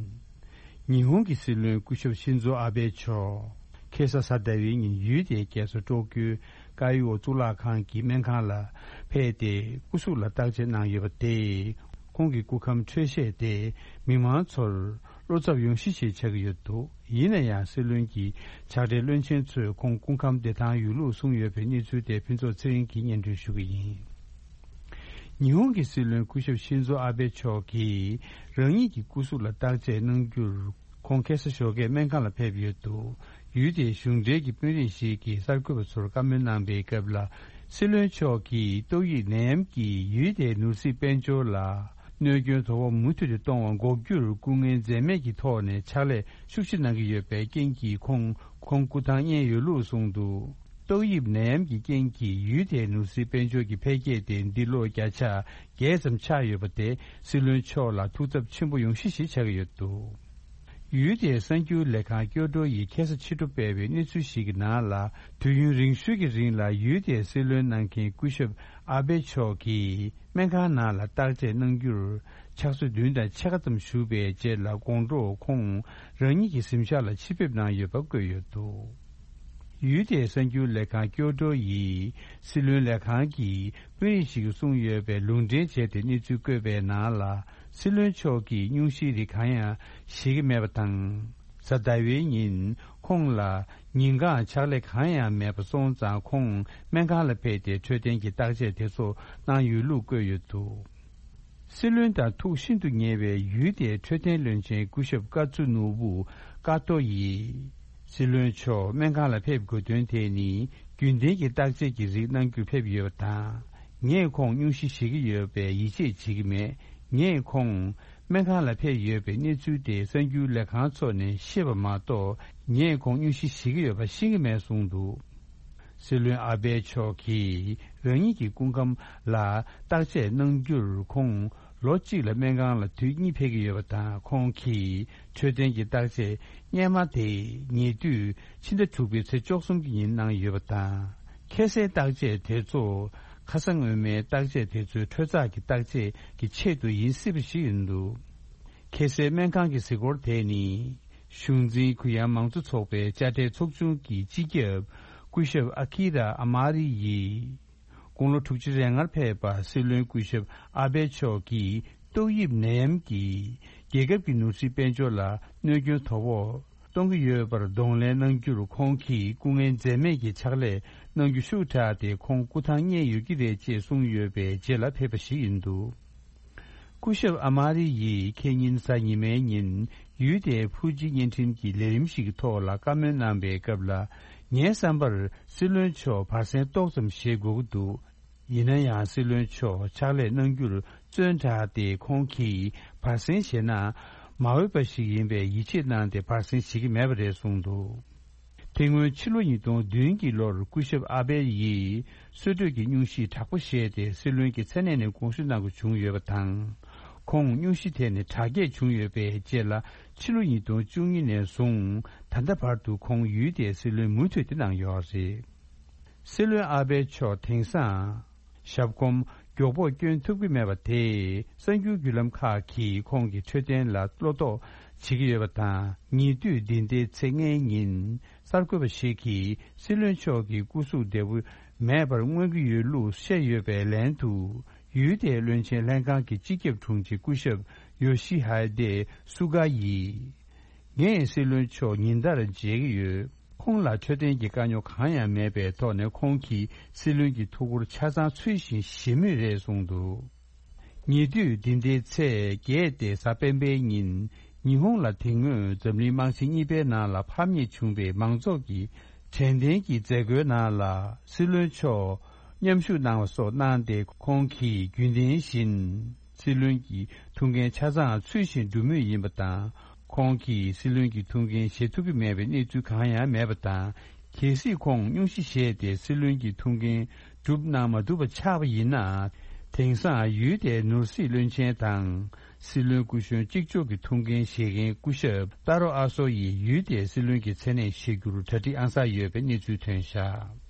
ཉི་ཧོང་གི་སྲིད་བློན་སྐུ་ཞབས་ཤིན་ཛོ་ཨ་བྷེ་མཆོག་ཁ་སང་གཟའ་ཟླ་བའི་ཉིན་ཡུལ་དེའི་རྒྱལ་ས་ཀྲོ་ཀིའོ་ཀ་ཡི་འོ་གཙུག་ལག་ཁང་གི་སྨན་ཁང་ལ་ཕེབས་ཏེ་སྐུ་གཟུགས་ལ་བརྟག་དཔྱད་གནང་ཡོད་པ་དེས། ཁོང་གི་སྐུ་ཁམས་འཕྲོད་བཞེས་དེ་མི་མང་ཚོར་བློ་འཚབ་ཡོང་གཞི་ཞིག་ཆགས་ཀྱི་ཡོད་འདུག་ཡིན་ན་ཡང་སྲིད་བློན་གྱི་ཕྱག་སྦྲེལ་བློན་ཆེན་ཚོས་ཁོང་སྐུ་ཁམས་བདེ་ཐང་ཡོད་ལུགས་གསུངས་ཡོད་པའི་གནས་ཚུལ་དེ་ཕུན་ཚོགས་ཚེ་རིང་གིས་སྙན་སྒྲོན་ཞུ་གི་ཡིན། ཉི་ཧོང་གི་སྲིད་བློན་སྐུ་ཞབས་ཤིན་ཛོ་ཨ་བྷེ་མཆོག་གིས་རང་ཉིད་ཀྱི་སྐུ་གཟུགས་ལ་བརྟག་དཔྱད་གནང་རྒྱུར། ཁོང་ཁ་སང་ཞོགས་ཀས་སྨན་ཁང་ལ་ཕེབས་ཡོད་འདུག་ཡུལ་དེའི་གཞུང་འབྲེལ་གྱི་དཔོན་རིགས་ཤིག་གིས་གསར་འགོད་པ་ཚོར་བཀའ་མོལ་གནང་པའི་སྐབས་ལ། སྲིད་བློན་མཆོག་གིས་ཏོག་དབྱིབས་ནད་ཡམས་ཀྱིས་ཡུལ་དེའི་ནོར་སྲིད་དཔལ་འབྱོར་ལ་གནོད་སྐྱོན་དོ་ཕོག་མུ་མཐུད་དུ་གཏོང་བ་འགོག་རྒྱུར་སྐུ་ངལ་འཛེམས་མེད་ཀྱི་ཐོག་ནས་ཕྱག་ལས་ཤུགས་ཆེ་གནང་གི་ཡོད་པའི་རྐྱེན་གྱིས་ཁོང་ཁོང་སྐུ་ཐང་རྙེད་ཡོད་ལུགས་གསུངས་འདུག་ཏོག་དབྱིབས་ནད་ཡམས་ཀྱི་རྐྱེན་གྱིས་ཡུལ་དེའི་ནོར་སྲིད་དཔལ་འབྱོར་གྱི་འཕེལ་རྒྱས་དེ་འདི་ལོ་བརྒྱ་ཆ་བརྒྱད་ཙམ་ཆག་ཡོད་པ་དེ་སྲིད་བློན་མཆོག་ལ་ཐུགས་འཚབ་ཆེན་པོ་ཡོང་གཞི་ཞིག་ཆགས་ཀྱི་ཡོད་འདུག་ཡུལ་དེའི་གསར་འགྱུར་ལས་ཁང་ཀྱོ་ཀྲོ་ཡིས་ཁ་སང་ཕྱི་དྲོ་སྤེལ་བའི་གནས་ཚུལ་ཞིག་གི་ནང་ལ། དུས་ཡུན་རིང་ཤོས་ཀྱི་རིང་ལ་ཡུལ་དེའི་སྲིད་བློན་གནང་མཁན་སྐུ་ཞབས་ཨ་བྷེ་མཆོག་གིས་སྨན་ཁང་ནང་ལ་བརྟག་དཔྱད་གནང་རྒྱུར་ཕྱག་ཚོད་བདུན་དང་ཕྱེད་ཀ་ཙམ་བཞུགས་པའི་རྗེས་ལ་དགོང་དྲོ་ཁོང་རང་ཉིད་ཀྱི་གཟིམ་ཤག་ལ་ཕྱིར་ཕེབས་གནང་ཡོད་པ་བཀོད་ཡོད་འདུག་ཡུལ་དེའི་གསར་འགྱུར་ལས་ཁང་ཀྱོ་ཀྲོ་ཡིས་སྲིད་བློན་ལས་ཁང་གི་དཔོན་རིགས་ཤིག་གིས་གསུངས་ཡོད་པའི་ལུང་འདྲེན་བྱས་ཏེ་གནས་ཚུལ་བཀོད་པའི་ནང་ལ། སྲིད་བློན་མཆོག་གིས་སྙུང་གཞིའི་རིགས་གང་ཡང་བཞེས་ཀྱི་མེད་པ་དང་། གཟའ་ཟླ་བའི་ཉིན་ཁོང་ལ་ཉིན་གང་ཕྱག་ལས་གང་ཡང་མེད་པ་སོང་ཙང་ཁོང་སྨན་ཁང་ལ་ཕེབས་ཏེ་འཕྲོད་བསྟེན་གྱི་བརྟག་དཔྱད་དེ་ཚོ་གནང་ཡོད་ལུགས་བཀོད་ཡོད་འདུག་སྲིད་བློན་དང་ཐུགས་ཤིན་ཏུ་ཉེ་བའི་ཡུལ་དེའི་འཕྲོད་བསྟེན་བློན་ཆེན་སྐུ་ཞབས་ཀ་ཙུ་ནོ་བུ་ཀ་ཏོ་ཡིས། སྲིད་བློན་མཆོག་སྨན་ཁང་ལ་ཕེབས་དགོས་དོན་དེ་ནི་རྒྱུན་ལྡན་གྱི་བརྟག་དཔྱད་ཀྱི་རིགས་གནང་རྒྱུར་ཕེབས་ཡོད་པ་དང་། ངས་ཁོང་སྙུང་གཞི་བཞེས་ཀྱི་ཡོད་པས་ཡིད་ཆེས་བྱེད་ཀྱི་མེད། ངས་ཁོང་སྨན་ཁང་ལ་ཕེབས་ཡོད་པའི་གནས་ཚུལ་དེ་གསར་འགྱུར་ལས་ཁང་ཚོ་ནས་ཤེས་པ་མ་གཏོགས། ངས་ཁོང་སྙུང་གཞི་བཞེས་ཀྱི་ཡོད་པ་ཤེས་ཀྱི་མེད་གསུངས་འདུག་སྲིད་བློན་ཨ་བྷེ་མཆོག་གིས་རང་ཉིད་ཀྱི་སྐུ་ཁམས་ལ་བརྟག་དཔྱད་གནང་རྒྱུར་ཁོང་ལོ་གཅིག་ལ་སྨན་ཁང་ལ་དུས་གཉིས་ཕེབས་ཀྱི་ཡོད་པ་དང་། ཁོང་གིས་འཕྲོད་བསྟེན་གྱི་བརྟག་དཔྱད་སྔས་མ་དེ་ཉེ་དུས་ཕྱི་ཟླ་དྲུག་པའི་ཚེས་བཅུ་གསུམ་གྱི་ཉིན་གནང་ཡོད་པ་དང་། ཁ་སའི་བརྟག་དཔྱད་དེ་ཚོ་ཁ་ས་སྔོན་མའི་བརྟག་དཔྱད་དེ་ཚོའི་འཕྲོ་བརླག་གི་བརྟག་དཔྱད་ཀྱི་ཆེད་དུ་ཡིན་སྲིད་པ་ཞིག་ཡིན་འདུག་ཁ་སའི་སྨན་ཁང་གི་གཟིགས་སྐོར་དེ་ནི། གཞུང་འཛིན་གུ་ཡངས་མང་གཙོ་ཚོགས་པའི་དཔྱ་ཁྲལ་ཚོགས་ཆུང་གི་སྤྱི་ཁྱབ་སྐུ་ཞབས་ཨ་ཁི་ར་ཨ་མ་རི་ཡིས། དགུང་ལོ་དྲུག་ཅུ་རེ་ལྔར་ཕེབས་པ་སྲིད་བློན་སྐུ་ཞབས་ཨ་བྷེ་མཆོག་གིས་ཏོག་དབྱིབས་ནད་ཡམས་ཀྱིས་རྒྱལ་ཁབ་ཀྱི་ནོར་སྲིད་དཔལ་འབྱོར་ལ་གནོད་སྐྱོན་དོ་ཕོག་གཏོང་གི་ཡོད་པར་གདོང་ལེན་གནང་རྒྱུར་ཁོང་གིས་སྐུ་ངལ་འཛེམས་མེད་ཀྱི་ཕྱག་ལས་གནང་རྒྱུ་ཤུགས་དྲགས་ཏེ་ཁོང་སྐུ་ཐང་རྙེད་ཡོད་ཀྱི་རེད་ཅེས་གསུངས་ཡོད་པའི་རྗེས་ལ་ཕེབས་པ་ཞིག་ཡིན་འདུག་སྐུ་ཞབས་ཨ་མ་རི་ཡིས་ཁེ་ཉིན་གཟའ་ཉི་མའི་ཉིན་ཡུལ་དེའི་ཕུའུ་ཅི་བརྙན་འཕྲིན་གྱི་ལས་རིམ་ཞིག་གི་ཐོག་ལ་བཀའ་མོལ་གནང་པའི་སྐབས་ལ། ངའི་བསམ་པར་སྲིད་བློན་མཆོག་བར་གསེང་ཏོག་ཙམ་བཞེས་དགོས་ཀྱི་འདུག་ཡིན་ན་ཡང་སྲིད་བློན་མཆོག་ཕྱག་ལས་གནང་རྒྱུར་བརྩོན་དྲགས་ཏེ་ཁོང་གིས་བར་གསེང་བཞེས་ན་མ་འོས་པ་ཞིག་ཡིན་པས་ཡིད་ཆེས་གནང་སྟེ་བར་གསེང་བཞེས་ཀྱི་མེད་པ་རེད་གསུངས་འདུག་དེ་སྔོན་ཕྱི་ལོ་ཉིས་སྟོང་བདུན་གྱི་ལོར་སྐུ་ཞབས་ཨ་བྷེ་ཡིས་གསོལ་གྲོད་ཀྱི་སྙུང་གཞི་དྲག་པོ་བཞེས་ཏེ་སྲིད་བློན་གྱི་མཚན་གནས་ནས་དགོངས་ཞུ་གནང་དགོས་བྱུང་ཡོད་པ་དང་། ཁོང་སྙུང་གཞི་དེ་ནི་དྲག་སྐྱེད་བྱུང་ཡོད་པའི་རྗེས་ལ་ཕྱི་ལོ་ཉིས་སྟོང་བཅུ་གཉིས་ནས་བཟུང་ད་ལྟ་བར་དུ་ཁོང་ཡུལ་དེའི་སྲིད་བློན་མུ་མཐུད་དེ་གནང་ཡོད་རེད། སྲིད་བློན་ཨ་བྷེ་མཆོག་དེང་སང་། ཞབས་གོམ་མགྱོགས་པོར་བསྐྱོན་ཐུབ་ཀྱི་མེད་པ་དེས་གསར་འགྱུར་བརྒྱུད་ལམ་ཁག་གིས་ཁོང་གི་འཕྲོད་བསྟེན་ལ་བློ་དོགས་བྱེད་ཀྱི་ཡོད་པ་དང་། ཉེ་དུས་འདི་ཟླའི་ཚེས་ལྔའི་ཉིན་གསར་འགོད་པ་ཞིག་གིས་སྲིད་བློན་མཆོག་གི་སྐུ་གཟུགས་བདེ་པོ་མེད་པར་མངོན་གྱི་ཡོད་ལུགས་བཤད་ཡོད་པའི་ལན་དུ། ཡུལ་དེའི་བློན་ཆེན་ལྷན་ཁང་གི་སྤྱི་ཁྱབ་དྲུང་ཆེ་སྐུ་ཞབས་ཡོ་ཤི་ཧ་དེ་སུ་ག་ཡིས། ངས་སྲིད་བློན་མཆོག་ཉིན་ལྟར་མཇལ་གྱི་ཡོད། ཁོང་ལ་འཕྲོད་བསྟེན་གྱི་དཀའ་རྙོག་གང་ཡང་མེད་པའི་ཐོག་ནས་ཁོང་གིས་སྲིད་བློན་གྱི་ཐུགས་ཁུར་ཆ་ཚང་ཚུལ་བཞིན་བཞེས་མུས་རེད་གསུངས་འདུག་ཉེ་དུས་འདི་ཟླའི་ཚེས་བརྒྱད་སྟེ་གཟའ་སྤེན་པའི་ཉིན་ཉི་ཧོང་ལ་དེ་སྔོན་འཛམ་གླིང་དམག་ཆེན་གཉིས་པའི་ནང་ལ་ཕམ་ཉེས་བྱུང་བའི་མང་ཚོགས་ཀྱི་དྲན་རྟེན་གྱི་མཛད་སྒོའི་ནང་ལ་སྲིད་བློན་མཆོག་མཉམ་ཞུགས་གནང་བ་སོགས་གནང་སྟེ་ཁོང་གིས་རྒྱུན་ལྡན་བཞིན། སྲིད་བློན་གྱི་ཐུགས་འགན་ཆ་ཚང་ཚུལ་བཞིན་སྒྲུབ་མུས་ཡིན་པ་དང་། ཁོང་གིས་སྲིད་བློན་གྱི་ཐུགས་འགན་བཞེས་ཐུབ་ཀྱི་མེད་པའི་གནས་ཚུལ་གང་ཡང་མེད་པ་དང་། གལ་སྲིད་ཁོང་སྙུང་གཞི་བཞེས་ཏེ་སྲིད་བློན་གྱི་ཐུགས་འགན་སྒྲུབ་གནང་མ་ཐུབ་པ་ཆགས་པ་ཡིན་ན། དེང་སང་ཡུལ་དེའི་ནོར་སྲིད་བློན་ཆེན་དང་། སྲིད་བློན་སྐུ་གཞོན་གཅིག་ལྕོགས་ཀྱི་ཐུགས་འགན་བཞེས་མཁན་སྐུ་ཞབས་ཏཱ་རོ་ཨ་སོ་ཡིས་ཡུལ་དེའི་སྲིད་བློན་གྱི་མཚན་གནས་བཞེས་རྒྱུར་གྲ་སྒྲིག་ཨང་གསར་ཡོད་པའི་གནས་ཚུལ་ཐོན་བཞག་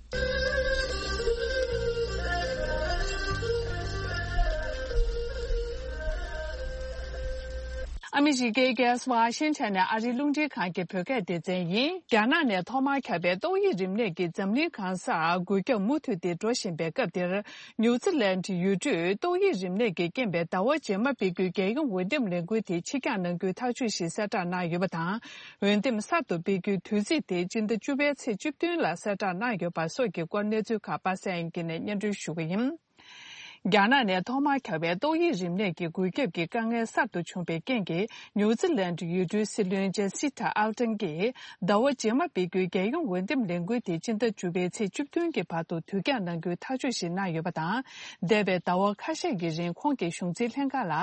ཨ་མི་རི་ཀའི་རྒྱལ་ས་ཝ་ཤིང་ཊོན་ནས་ཨ་རིའི་རླུང་འཕྲིན་ཁང་གི་བོད་སྐད་སྡེ་ཚན་ཡིན། རྒྱ་ནག་ནས་ཐོག་མར་ཁྱབ་པའི་ཏོག་དབྱིབས་རིམས་ནད་ཀྱིས་འཛམ་གླིང་གང་སར་འགོས་ཁྱབ་མུ་མཐུད་དེ་འགྲོ་བཞིན་པའི་སྐབས་འདིར། ཉུའུ་ཙི་ལན་ཡུལ་གྲུས་ཏོག་དབྱིབས་རིམས་ནད་ཀྱིས་རྐྱེན་པས་ཟླ་བ་རྗེས་མ་སྤེལ་རྒྱུའི་རྒྱལ་ཡོངས་འོས་འདེམས་ལས་འགུལ་དེ་ཕྱིར་འགྱངས་གནང་རྒྱུའི་ཐག་གཅོད་ཞིག་གསལ་བསྒྲགས་གནང་ཡོད་པ་དང་། འོས་འདེམས་གསར་དུ་སྤེལ་རྒྱུའི་དུས་ཚིགས་དེ་སྤྱི་ཟླ་བཅུ་པའི་ཚེས་བཅུ་བདུན་ལ་གསལ་བསྒྲགས་གནང་ཡོད་པ་སོགས་ཀྱི་སྐོར་གནས་ཚུལ་ཁག་པ་སངས་དབྱངས་སྐྱིད་ནས་སྙན་སྒྲོན་ཞུ་གི་ཡིན། རྒྱ་ནག་ནས་ཐོག་མར་ཁྱབ་པའི་ཏོག་དབྱིབས་རིམས་ནད་ཀྱི་འགོས་ཁྱབ་ཀྱི་དཀའ་ངལ་གསར་དུ་བྱུང་བའི་རྐྱེན་གྱིས། ནིའུ་ཛི་ལན་ཡུལ་གྲུའི་སྲིད་བློན་ཇེ་སི་ཊ་ཨལ་ཏན་གྱིས་ཟླ་བ་རྗེས་མ་སྤེལ་རྒྱུའི་རྒྱལ་ཡོངས་འོས་འདེམས་ལས་འགུལ་དེ་སྤྱི་ཟླ་བཅུ་པའི་ཚེས་བཅུ་བདུན་གྱི་བར་དུ་དུས་འགྱངས་གནང་རྒྱུའི་ཐག་གཅོད་ཞིག་གནང་ཡོད་པ་དང་། འདས་པའི་ཟླ་བ་ཁ་ཤས་ཀྱི་རིང་ཁོང་གིས་གཞུང་འཛིན་ལྷན་ཁང་ལ།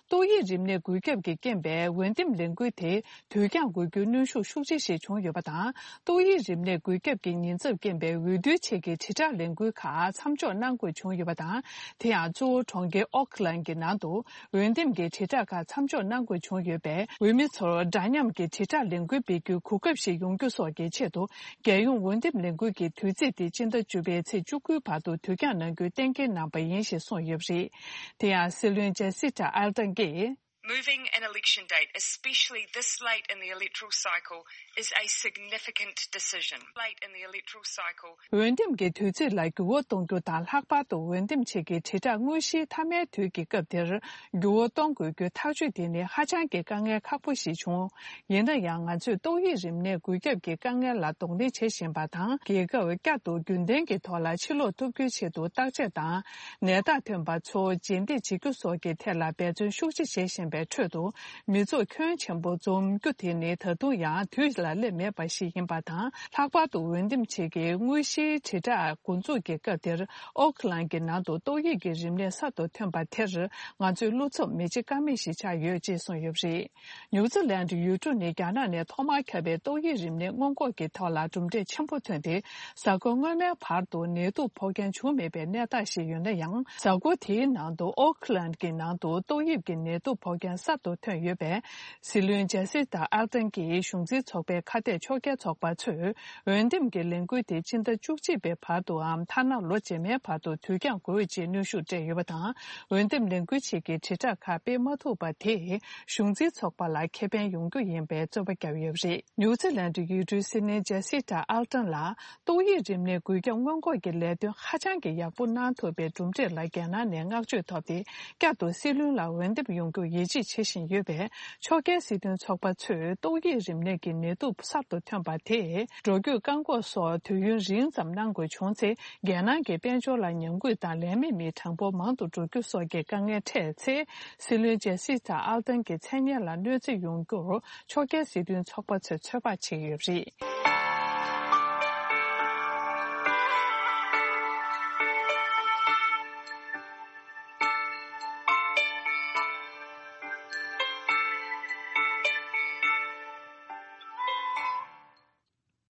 ཏོག་དབྱིབས་རིམས་ནད་འགོས་ཁྱབ་ཀྱི་རྐྱེན་པས་འོས་འདེམས་ལས་འགུལ་དེ་དུས་འགྱངས་དགོས་རྒྱུའི་གནོན་ཤུགས་ཤུགས་ཆེ་ཞིག་བྱུང་ཡོད་པ་དང་། ཏོག་དབྱིབས་རིམས་ནད་འགོས་ཁྱབ་ཀྱི་ཉེན་ཚབས་རྐྱེན་པས་འོས་བསྡུའི་ཆེད་ཀྱི་དྲིལ་བསྒྲགས་ལས་འགུལ་ཁག་མཚམས་འཇོག་གནང་དགོས་བྱུང་ཡོད་པ་དང་། དེ་ཡང་གཙོ་བོ་གྲོང་ཁྱེར་ཨོ་ཁི་ལན་གྱི་ནང་དུ་འོས་འདེམས་ཀྱི་དྲིལ་བསྒྲགས་ཁག་མཚམས་འཇོག་གནང་དགོས་བྱུང་ཡོད་པས། འོས་མི་ཚོར་འདྲ་མཉམ་གྱི་དྲིལ་བསྒྲགས་ལས་འགུལ་སྤེལ་རྒྱུའི་གོ་སྐབས་ཤིག་ཡོང་རྒྱུ་སོགས་ཀྱི་ཆེད་དུ། རྒྱལ་ཡོངས་འོས་འདེམས་ལས་འགུལ་གྱི་དུས་ཚིགས་དེ་སྤྱི་ཟླ་བཅུ་པའི་ཚེས་བཅུ་དགུའི་བར་དུ་དུས་འགྱངས་གནང་རྒྱུའི་གཏན་འཁེལ་གནང་པ་ཡིན་ཞེས་གསུངས་ཡོད་པ་རེད། དེ་ཡང་སྲིད་བློན་ཇེ་སི་ཊ་ཨལ་ཏན་གྱིས། Moving an election date, especially this late in the electoral cycle, is a significant decision. Late in the electoral cycle. འོས་འདེམས་ཀྱི་དུས་ཚིགས་ལ་འགྱུར་བ་གཏོང་རྒྱུ་དང་། ལྷག་པར་དུ་འོས་འདེམས་ཆེད་ཀྱི་དྲིལ་བསྒྲགས་དངོས་གཞིའི་མཐའ་མའི་དུས་ཀྱི་སྐབས་དེར་འགྱུར་བ་གཏོང་དགོས་རྒྱུའི་ཐག་གཅོད་དེ་ནི་ཧ་ཅང་གི་དཀའ་ངལ་ཁག་པོ་ཞིག་བྱུང་། ཡིན་ན་ཡང་། ང་ཚོས་ཏོག་དབྱིབས་རིམས་ནད་འགོས་ཁྱབ་ཀྱི་དཀའ་ངལ་ལ་གདོང་ལེན་བྱེད་བཞིན་པ་དང་། རྒྱལ་ཁབ་བསྐྱར་དུ་རྒྱུན་ལྡན་གྱི་ཐོག་ལ་ཕྱིར་ལོག་ཐུབ་རྒྱུའི་ཆེད་དུ་བརྟག་དཔྱད་དང་། ནད་རྟགས་ཐོན་པ་ཚོ་རྗེས་འདེད་བྱེད་རྒྱུ་སོགས་ཀྱི་ཐད་ལ་འབད་བརྩོན་ཤུགས་ཆེ་བྱེད་བཞིན་པའི་ཁྲོད་དུ། མི་ཚོགས་ཁྱོན་ཆེན་པོ་འཛོམས་རྒྱུ་དེ་ནི་ད་དུང་ཡང་དུས་ལ་སླེབས་མེད་པ་ཞིག་ཡིན་པ་དང་། ལྷག་པར་དུ་འོས་འདེམས་ཆེད་ཀྱི་དངོས་གཞིའི་དྲིལ་བསྒྲགས་འགོ་འཛུགས་ཀྱི་སྐབས་དེར། ཨོ་ཁི་ལན་གྱི་ནང་དུ་ཏོག་དབྱིབས་ཀྱི་རིམས་ནད་གསར་དུ་ཐོན་པ་དེར། ང་ཚོའི་བློ་འཚབ་མི་བྱེད་ཀ་མེད་ཞིག་ཆགས་ཡོད་ཅེས་གསུངས་ཡོད་པ་རེད། ནིའུ་ཛི་ལན་ཡུལ་གྲུ་ནི་རྒྱ་ནག་ནས་ཐོག་མར་ཁྱབ་པའི་ཏོག་དབྱིབས་རིམས་ནད་སྔོན་འགོག་གི་ཐོག་ལ་གྲུབ་འབྲས་ཆེན་པོ་ཐོན་ཏེ། གཟའ་འཁོར་སྔོན་མའི་བར་དུ་ནད་དུག་ཕོག་མཁན་བྱུང་མེད་པའི་གནས་སྟངས་ཤིག་ཡོད་ན་ཡང་། གཟའ་འཁོར་དེའི་ནང་དུ་ཨོ་ཁི་ལན་གྱི་ནང་དུ་ཏོག་དབྱིབས་ཀྱི་ནད་དུག་ཕོག་མཁན་གསར་དུ་ཐོན་ཡོད་པས། སྲིད་བློན་ཇེ་སི་ཊ་ཨལ་ཏན་གྱིས་གཞུང་འཛིན་ཚོགས་པའི་ཁ་གཏད་ཕྱོགས་འགལ་ཚོགས་པ་ཚོས་འོས་འདེམས་ཀྱི་ལས་འགུལ་དེ་ཕྱི་ཟླ་བཅུ་གཅིག་པའི་བར་དུའམ་ཐ་ན་ལོ་རྗེས་མའི་བར་དུ་དུས་འགྱངས་དགོས་ཅེས་གནོན་ཤུགས་སྤྲད་ཡོད་པ་དང་། འོས་འདེམས་ལས་འགུལ་ཆེད་ཀྱི་དྲིལ་བསྒྲགས་ཁག་སྤེལ་མ་ཐུབ་པ་དེས་གཞུང་འཛིན་ཚོགས་པ་ལ་ཁེ་ཕན་ཡོང་རྒྱུ་ཡིན་པའི་རྩོད་པ་བརྒྱབ་ཡོད་པ་རེད། ནིའུ་ཛི་ལན་ཡུལ་གྲུའི་སྲིད་བློན་ཇེ་སི་ཊ་ཨལ་ཏན་ལ། ཏོག་དབྱིབས་རིམས་ནད་འགོས་ཁྱབ་སྔོན་འགོག་གི་ལས་དོན་ཧ་ཅང་གི་ཡག་པོ་གནང་ཐུབ་པའི་གྲུབ་འབྲས་ལ་རྒྱ་ནག་ནས་བསྔགས་བརྗོད་ཐོབ་སྟེ། བསྐྱར་དུ་སྲིད་བློན་ལ་འོས་འདེམས་ཡོང་རྒྱུར་ཡིད་ཆེས་བྱེད་བཞིན་ཡོད་པས། ཕྱོགས་འགལ་སྲིད་དོན་ཚོགས་པ་ཚོས་ཏོག་དབྱིབས་རིམས་ནད་ཀྱི་ནད་དུག་གསར་དུ་ཐོན་པ་དེས། འགྲོ་སྐྱོད་བཀག་འགོག་སོགས་དུས་ཡུན་རིང་ཙམ་གནང་དགོས་བྱུང་ཚེ། རྒྱལ་ནང་གི་དཔལ་འབྱོར་ལ་ཉམས་རྒུད་དང་ལས་མེད་མི་གྲངས་འབོར་མང་དུ་འགྲོ་རྒྱུ་སོགས་ཀྱི་དཀའ་ངལ་འཕྲད་ཚེ། སྲིད་བློན་ཇེ་སི་ཊ་ཨལ་ཏན་གྱི་མཚན་སྙན་ལ་གནོད་འཚེ་ཡོང་རྒྱུར། ཕྱོགས་འགལ་སྲིད་དོན་ཚོགས་པ་ཚོས་ཚོད་དཔག་བྱེད་ཀྱི་ཡོད་པ་རེད།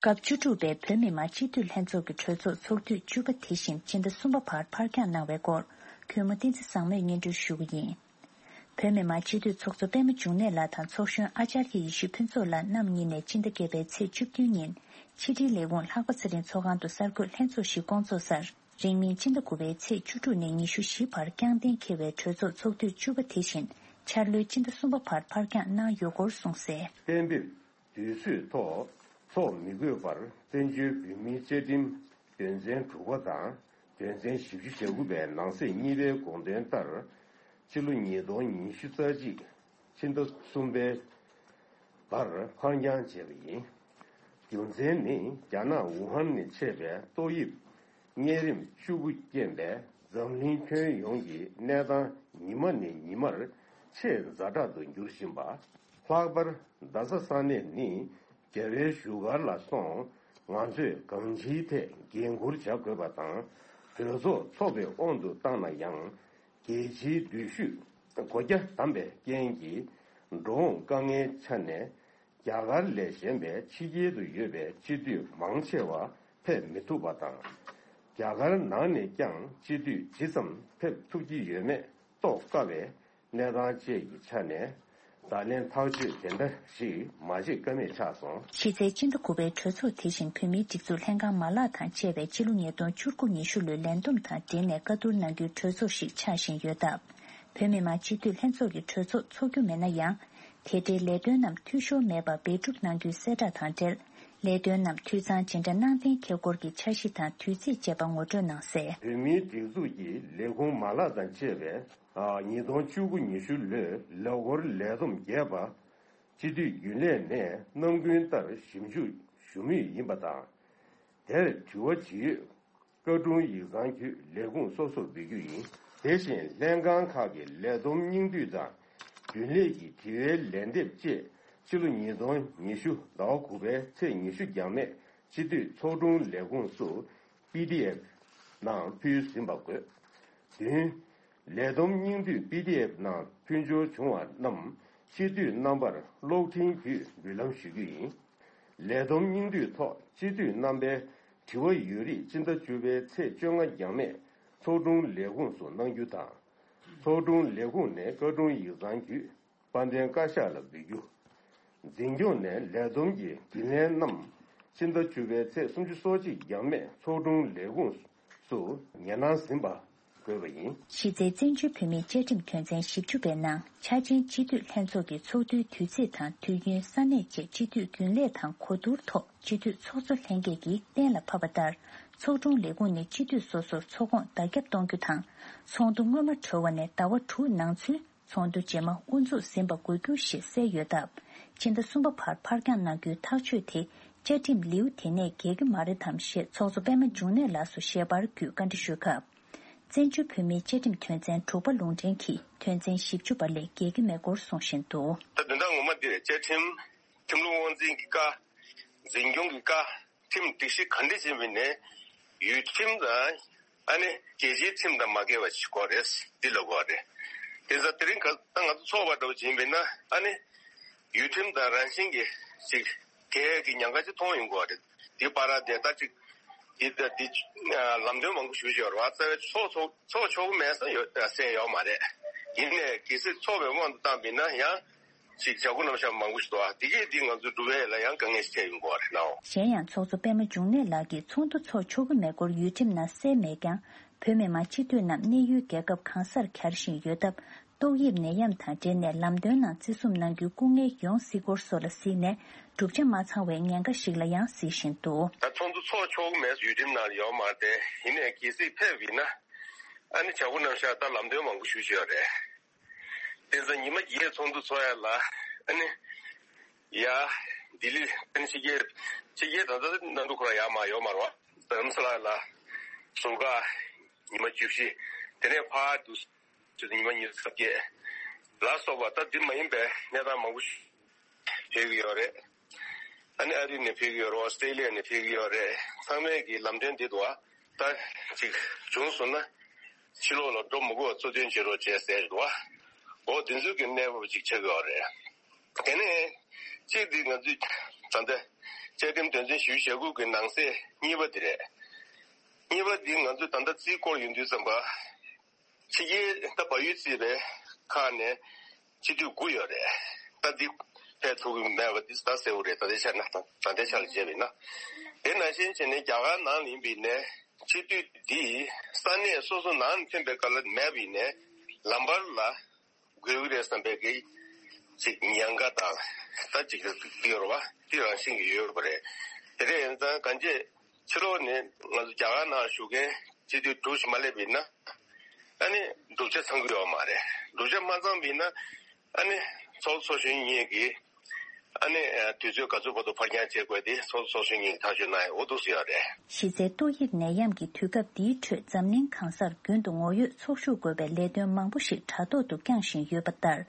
སྐབས་བཅུ་དྲུག་པའི་བོད་མི་མང་སྤྱི་འཐུས་ལྷན་ཚོགས་ཀྱི་གྲོས་ཚོགས་ཚོགས་དུས་བཅུ་པ་དེ་བཞིན་སྤྱི་ཟླ་གསུམ་པ་བར་ཕར་འགྱངས་གནང་བའི་སྐོར། གུས་མོ་བསྟན་འཛིན་བཟང་མོས་སྙན་སྒྲོན་ཞུ་གི་ཡིན། བོད་མི་མང་སྤྱི་འཐུས་ཚོགས་གཙོ་པད་མ་འབྱུང་གནས་ལགས་དང་ཚོགས་གཞོན་ཨ་ཙརྱ་ཡེ་ཤེས་ཕུན་ཚོགས་ལགས་རྣམ་གཉིས་ནས་སྤྱི་ཟླ་བརྒྱད་པའི་ཚེས་བཅུ་བདུན་ཉིན་ཕྱི་དྲིལ་ལས་ཁུངས་ལྷག་པ་ཚེ་རིང་ཚོགས་ཁང་དུ་གསར་འགོད་ལྷན་ཚོགས་ཤིག་བསྐོང་ཚོགས་སར། རིང་མིན་སྤྱི་ཟླ་དགུ་པའི་ཚེས་བཅུ་དྲུག་ནས་ཉི་ཤུ་བཞི་བར་བསྐྱངས་གཏན་འཁེལ་བའི་གྲོས་ཚོགས་ཚོགས་དུས་བཅུ་པ་དེ་བཞིན་འཆར་ལོའི་སྤྱི་ཟླ་གསུམ་པ་བར་ཕར་འགྱངས་གནང་ཡོད་སྐོར་གསུངས་གསལ། གཏན་འབེབས་དུས་ཚོད་ཐོག་ཚོགས་མི་དགོས་པར་བཙན་བྱོལ་བོད་མིའི་བཅའ་ཁྲིམས་དོན་ཚན་དྲུག་པ་དང་དོན་ཚན་བཞི་བཅུ་ཞེ་དགུ་པའི་ནང་གསེས་གཉིས་པའི་དགོངས་དོན་ལྟར། ཕྱི་ལོ་ཉིས་སྟོང་ཉི་ཤུ་རྩ་གཅིག་ཕྱི་ཟླ་གསུམ་པའི་བར་ཕར་འགྱངས་བྱས་པ་ཡིན། རྒྱུ་མཚན་ནི་རྒྱ་ནག་ཝུ་ཧན་ནས་མཆེད་པའི་ཏོག་དབྱིབས་གཉན་རིམས་བཅུ་དགུ་རྐྱེན་པས་འཛམ་གླིང་ཁྱོན་ཡོངས་ཀྱི་གནས་སྟངས་ཉི་མ་ནས་ཉི་མར་ཆེས་ཛ་དྲག་ཏུ་འགྱུར་བཞིན་པ། ལྷག་པར་རྡ་ས་ས་གནས་ནི་རྒྱལ་བའི་བཞུགས་སྒར་ལ་སོང་། ང་ཚོས་གང་ཅིའི་ཐད་འགན་འཁུར་བྱ་དགོས་པ་དང་། གྲོས་ཚོགས་འཚོགས་པའི་དབང་དུ་བཏང་ན་ཡང་། རྒྱལ་སྤྱིའི་འགྲུལ་བཞུད་སྒོ་རྒྱ་བསྡམས་པའི་རྐྱེན་གྱིས། འགྲོ་འོང་དཀའ་ངལ་ཆ་ནས། རྒྱ་གར་ལས་གཞན་པའི་ཕྱི་རྒྱལ་དུ་ཡོད་པའི་སྤྱི་འཐུས་མང་ཆེ་བ་ཕེབས་མི་ཐུབ་པ་དང་། རྒྱ་གར་ནང་ནས་ཀྱང་སྤྱི་འཐུས་ཇི་ཙམ་ཕེབས་ཐུབ་ཀྱི་ཡོད་མེད་རྟོགས་དཀའ་བའི་གནས་སྟངས་བཅས་ཀྱི་ཆ་ནས། བརྡ་ལན་ཐག་གཅོད་དེ་འདྲ་ཞིག་མ་བྱེད་ཀ་མེད་ཆགས་སོང་། གཞི་རྩའི་སྤྱི་ཟླ་དགུ་པའི་གྲོས་ཚོགས་དེ་བཞིན་བོད་མིའི་སྒྲིག་འཛུགས་ལྷན་ཁང་མ་ལག་དང་བཅས་པའི་སྤྱི་ལོ་ཉིས་སྟོང་བཅུ་དགུ་ཉི་ཤུ་ལོའི་ལས་བསྡོམས་དང་འབྲེལ་ནས་བཀའ་བསྡུར་གནང་རྒྱུའི་གྲོས་ཚོགས་ཤིག་ཆགས་བཞིན་ཡོད་སྟབས། བོད་མི་མང་སྤྱི་འཐུས་ལྷན་ཚོགས་ཀྱི་གྲོས་ཚོགས་འཚོགས་རྒྱུ་མེད་ན་ཡང་། དེ་འབྲེལ་ལས་དོན་རྣམས་འཐུས་ཤོར་མེད་པར་འབད་སྒྲུབ་གནང་རྒྱུའི་གསལ་བསྒྲགས་དང་འབྲེལ། ལས་དོན་རྣམས་འཐུས་ཚང་ཇི་འདྲ་གནང་གཏན་འཁེལ་སྐོར་གྱི་འཆར་གཞི་དང་དུས་ཚིགས་བཅས་པ་ངོ་སྤྲོད་གནང་གསལ། བོད་མིའི་སྒྲིག་འཛུགས་ཀྱི་ལས་ཁུངས་མ་ལག་དང་བཅས་པའི་ཉིས་སྟོང་བཅུ་དགུ་ཉི་ཤུ་ལོའི་ལོ་འཁོར་ལས་བསྡོམས་རྒྱས་པ། སྤྱི་འཐུས་རྒྱུན་ལས་ནས་རྣམ་ཀུན་ལྟར་ཞིབ་འཇུག་ཞུ་མུས་ཡིན་པ་དང་། དེར་དྲི་བ་ཇི་ཡོད་བཀའ་དྲུང་ཡིག་ཚང་བརྒྱུད་ལས་ཁུངས་སོ་སོར་འབུལ་རྒྱུ་ཡིན། དེ་བཞིན་ལྷན་ཁང་ཁག་གི་ལས་བསྡོམས་སྙིང་བསྡུས་དང་། རྒྱུན་ལས་ཀྱི་དྲི་བའི་ལན་འདེབས་བཅས་ཕྱི་ལོ་ཉིས་སྟོང་ཉི་ཤུ་ཟླ་བ་དགུ་པའི་ཚེས་ཉི་ཤུ་འགྱངས་མེད་སྤྱི་འཐུས་ཚོགས་དྲུང་ལས་ཁུངས་སུ་པི་ཌི་ཨེཕ་ནང་ཕུལ་ཟིན་པ་དགོས། བདུན། ལས་བསྡོམས་སྙིང་བསྡུས་པི་ཌི་ཨེཕ་ནང་ཕུལ་འབྱོར་བྱུང་བ་རྣམས་སྤྱི་འཐུས་རྣམ་པར་གློག་འཕྲིན་བརྒྱུད་འབུལ་ལམ་ཞུ་རྒྱུ་ཡིན། ལས་བསྡོམས་སྙིང་བསྡུས་ཐོག་སྤྱི་འཐུས་རྣམ་པའི་དྲི་བ་ཡོད་རིགས་སྤྱི་ཟླ་བཅུ་པའི་ཚེས་བཅོ་ལྔ་འགྱངས་མེད་ཚོགས་དྲུང་ལས་ཁུངས་སུ་གནང་རྒྱུ་དང་། ཚོགས་དྲུང་ལས་ཁུངས་ནས་བཀའ་དྲུང་ཡིག་ཚང་བརྒྱུད་དཔལ་ལྡན་བཀའ་ཤག་ལ་འབུལ་རྒྱུ། འཛིན་སྐྱོང་ནས་ལས་བསྡོམས་ཀྱི་རྒྱུན་ལས་རྣམས་ཕྱི་ཟླ་བཅུ་པའི་ཚེས་སུམ་ཅུ་སོ་གཅིག་འགྱངས་མེད་ཚོགས་དྲུང་ལས་ཁུངས་སུ་ཉེ་གནང་ཟིན་པ་དགོས་པ་ཡིན། གཞི་རྩའི་བཙན་བྱོལ་བོད་མིའི་བཅའ་ཁྲིམས་དོན་ཚན་བཞི་བཅུ་པའི་ནང་འཆར་ཅན་སྤྱི་འཐུས་ལྷན་ཚོགས་ཀྱི་ཚོགས་དུས་དུས་ཚིགས་དང་དུས་ཡུན་ས་གནས་བཅས་སྤྱི་འཐུས་རྒྱུན་ལས་དང་གོ་བསྡུར་ཐོག་སྤྱི་འཐུས་ཚོགས་གཙོ་ལྷན་རྒྱས་ཀྱིས་གཏན་ལ་ཕབ་པ་ལྟར། ཚོགས་དྲུང་ལས་ཁུངས་ནས་སྤྱི་འཐུས་སོ་སོར་ཚོགས་ཁོངས་བརྡ་ཁྱབ་གཏོང་རྒྱུ་དང་། ཚོགས་འདུ་སྔོན་མ་གྲོལ་བ་ནས་ཟླ་བ་དྲུག་ནང་ཚུན། ཚོགས་འདུ་རྗེས་མ་དབུ་འཛུགས་ཟིན་པ་དགོས་རྒྱུ་ཞེས་གསལ་ཡོད་སྟབས། ཕྱི་ཟླ་གསུམ་པ་བར་ཕར་འགྱངས་གནང་རྒྱུའི་ཐག་གཅོད་དེ་བཅའ་ཁྲིམས་ལེའུ་དེ་ནས་འགལ་གྱི་མ་རེད་དམ་ཞེས་ཚོགས་གཙོ་པད་མ་འབྱུང་གནས་ལགས་སུ་ཞལ་པར་བརྒྱུད་བཀའ་འདྲི་ཞུས་སྐབས། བཙན་བྱོལ་བོད་མིའི་བཅའ་ཁྲིམས་དོན་ཚན་དྲུག་པ་ལུང་འདྲེན་གྱིས་དོན་ཚན་བཞི་བཅུ་པ་ལས་འགལ་གྱི་མེད་སྐོར་གསུངས་བཞིན་འདུག་ད་དོན་དག་ངོ་མ་འདི་རེད། བཅའ་ཁྲིམས། ཁྲིམས་ལུགས་དབང་འཛིན་གྱི་བཀའ། འཛིན་སྐྱོང་གི་བཀའ། ཁྲིམས་སྒྲིག་གཞི་ག་འདྲ་ཅིག་ཡིན་པ་ནས་ཡུལ་ཁྲིམས་དང་། ཨ་ནི་རྒྱལ་སྤྱིའི་ཁྲིམས་དང་མ་འགལ་བ་ཞིག་དགོས་རེད། འདི་ལ་དགོས་རེད། དེ་ཚོ་དེ་རིང་ག་ད་ང་ཚོ་ཚོགས་པ་འདྲ་བོ་ཅིག་ཡིན་པས་ན། ཨ་ནི་ཡུལ་ཁྲིམས་དང་རང་བཞིན་གྱི་ཅིག་འགལ་གྱི་ཉེན་ཁ་ཅིག་མཐོང་ཡོང་གི་རེད། འདི་བར་དེ་ལྟ་ཅིག་འདི་ད་འདི་ལམ་སྟོན་མང་པོ་ཞུ་བཞིན་ཡོད་རེད་བ། རྩ་བའི་ཚོགས་ཚོགས་ཚོགས་ཆོག་གི་མེད་ས་ཡོད་ས་ཡོད་མ་རེད། ཡིན་ནའི་གལ་སྲིད་ཚོགས་པའི་དབང་དུ་བཏང་པས་ན་ཡང་། ཞིག་བྱ་སྒོ་རྣམ་གཞག་མང་པོ་ཞིག་འདུག་ཨ། དེ་གས་འདི་ང་ཚོ་འགྲོ་བའི་ལ་ཡང་དཀའ་ངལ་ཞིག་འཕྲད་ཡོང་གི་རེད་ནའོ། གཞན་ཡང་ཚོགས་གཙོ་པད་མ་འབྱུང་གནས་ལགས་ཀྱིས་ཚོགས་འདུ་ཚོགས་ཆོག་གི་མེད་སྐོར་ཡུལ་ཁྲིམས་ནང་གསལ་མེད་ཀྱང་། བོད་མི་མང་སྤྱི་འཐུས་རྣམས་གནས་ཡུལ་རྒྱལ་ཁབ་གང་སར་གྱར་བཞིན་ཡོད་སྟབས། ཏོག་དབྱིབས་ནད་ཡམས་དང་འབྲེལ་ནས་ལམ་སྟོན་ནང་བརྩི་སྲུང་གནང་རྒྱུའི་སྐུ་ངལ་ཡོང་སྲིད་སྐོར་སོགས་ལ་གཟིགས་ནས། བསྒྲུབ་བྱ་མ་ཚང་བའི་ཉེན་ཁ་ཞིག་ལ་ཡང་གཟིགས་བཞིན་འདུག་ད་ཚོགས་འདུ་ཚོགས་ཆོག་གི་མེད་ཡུལ་ཁྲིམས་ནང་ཡོད་མ་རེད། ཡིན་ནའི་གལ་སྲིད་ཕེབས་ཡིན་ན། ཨ་ནི་བྱ་སྒོ་རྣམ་གཞག་ད་ལམ་སྟོན་མང་པོ་ཞུ་བཞིན་ཡོད་རེད། དེ་ཚོ་ཉི་མ་བརྒྱད་ཚོགས་འདུ་ཚོགས་ཡ་ལ། ཨ་ནི། ཡ། ལྡི་ལི། ཨ་ནི་ཕྱི་རྒྱལ། ཕྱི་རྒྱལ་ད་ལྟ་གནམ་གྲུ་ཁོ་རང་ཡར་མར་ཡོད་མ་རེད་བ། རྡ་རམ་ས་ལ་ལ། ཟུར་བཀག་ཉི་མ་བཅུ་བཞི། དེ་ནས་ཕར་དུ། ཉི་མ་ཉི་ཤུ་རྩ་བརྒྱད། ལ་སོགས་པ་ད་འདི་མ་ཡིན་པའི་གནས་སྟངས་མང་པོ་ཞིག་ཕེབས་ཀྱི་ཡོད་རེད། ཨ་ནི་ཨ་རི་ནས་ཕེབས་ཀྱི་ཡོད་རེད། ཨོ་སི་ཀྲེ་ལི་ཡ་ནས་ཕེབས་ཀྱི་ཡོད་རེད། ཚང་མས་ཀྱི་ལམ་སྟོན་འདི་འདུག་ཨ། ད་ཅིག་བྱུང་སོང་ན། ཕྱི་ལོགས་ལ་འགྲོ་མི་དགོས་པ་གཙོ་དོན་བྱེད་རོགས་བྱས་ཟེར་འདུག་ཨ། འོ་དེ་ཚོའི་གི་གནས་བབ་ཅིག་ཆགས་ཀྱི་ཡོད་རེད། དེ་ནས་གཅིག་འདི་ང་ཚོས་ད་ལྟ་བཅའ་ཁྲིམས་དོན་ཚན་བཞི་བཅུ་ཞེ་དགུ་གི་ནང་གསེས་གཉིས་པ་འདི་རེད། གཉིས་པ་འདི་ང་ཚོས་ད་ལྟ་རྩིས་སྐོར་ཡོང་དུས་ཙམ་པ། ཕྱི་རྒྱལ་ད་བལ་ཡུལ་གཙོས་པའི་ཁག་ནས་སྤྱི་འཐུས་དགུ་ཡོད་རེད། ད་འདི་ཕེབས་ཐུབ་ཀྱི་མེད་པ་འདི་ད་གསལ་པོ་རེད། ད་ལྟའི་ཆ་ན་ད་ད་ལྟའི་ཆ་ལ་བྱས་པ་ཡིན་ན། དེ་ནང་བཞིན་བྱས་ནས་རྒྱ་གར་ནང་ལ་ཡིན་པ་ཡིན་ནའི་སྤྱི་འཐུས་འདི་ས་གནས་སོ་སོ་ནང་ནས་ཐོན་པའི་སྐབས་ལ་མེད་པ་ཡིན་ནའི་ལམ་བར་ལ་དགོས་ཀྱི་རེད་བསམ་པའི་གི་ཅིག་ཉེན་ཁ་དང་ད་ཅིག་འདི་ཡོད་རེད་བ། འདི་རང་བཞིན་གྱི་ཡོད་པ་རེད། དེ་འདྲ་ཡིན་ཙང་གང་ཅི། ཕྱི་ལོགས་ནས་ང་ཚོ་རྒྱ་གར་ནང་བཞུགས་མཁན་སྤྱི་འཐུས་དྲུག་ཞིག་མ་སླེབས་པ་ཡིན་ན། ཨ་ནི་བསྒྲུབ་བྱ་ཚང་གི་ཡོད་མ་རེད། བསྒྲུབ་བྱ་མ་ཚང་པ་ཡིན་ན། ཨ་ནི་ཚོགས་གཙོ་ཚོགས་གཞོན་གཉིས་ཀྱིས་ཨ་ནི་དུས་ཚོད་ག་ཚོད་བར་དུ་ཕར་འགྱངས་བྱེད་དགོས་དེ་ཚོགས་གཙོ་ཚོགས་གཞོན་གཉིས་ཀྱིས་ཐག་གཅོད་གནང་ཡ་འོ་འདུག་སེ་ཡོད་རེད། གཞི་རྩའི་ཏོག་དབྱིབས་ནད་ཡམས་ཀྱི་དུས་སྐབས་འདིའི་ཁྲོད་འཛམ་གླིང་གང་སར་རྒྱུན་དུ་ངོ་ཡོད་ཚོགས་ཞུགས་དགོས་པའི་ལས་དོན་མང་པོ་ཞིག་དྲ་ཐོག་ཏུ་བསྐྱངས་བཞིན་ཡོད་པ་ལྟར།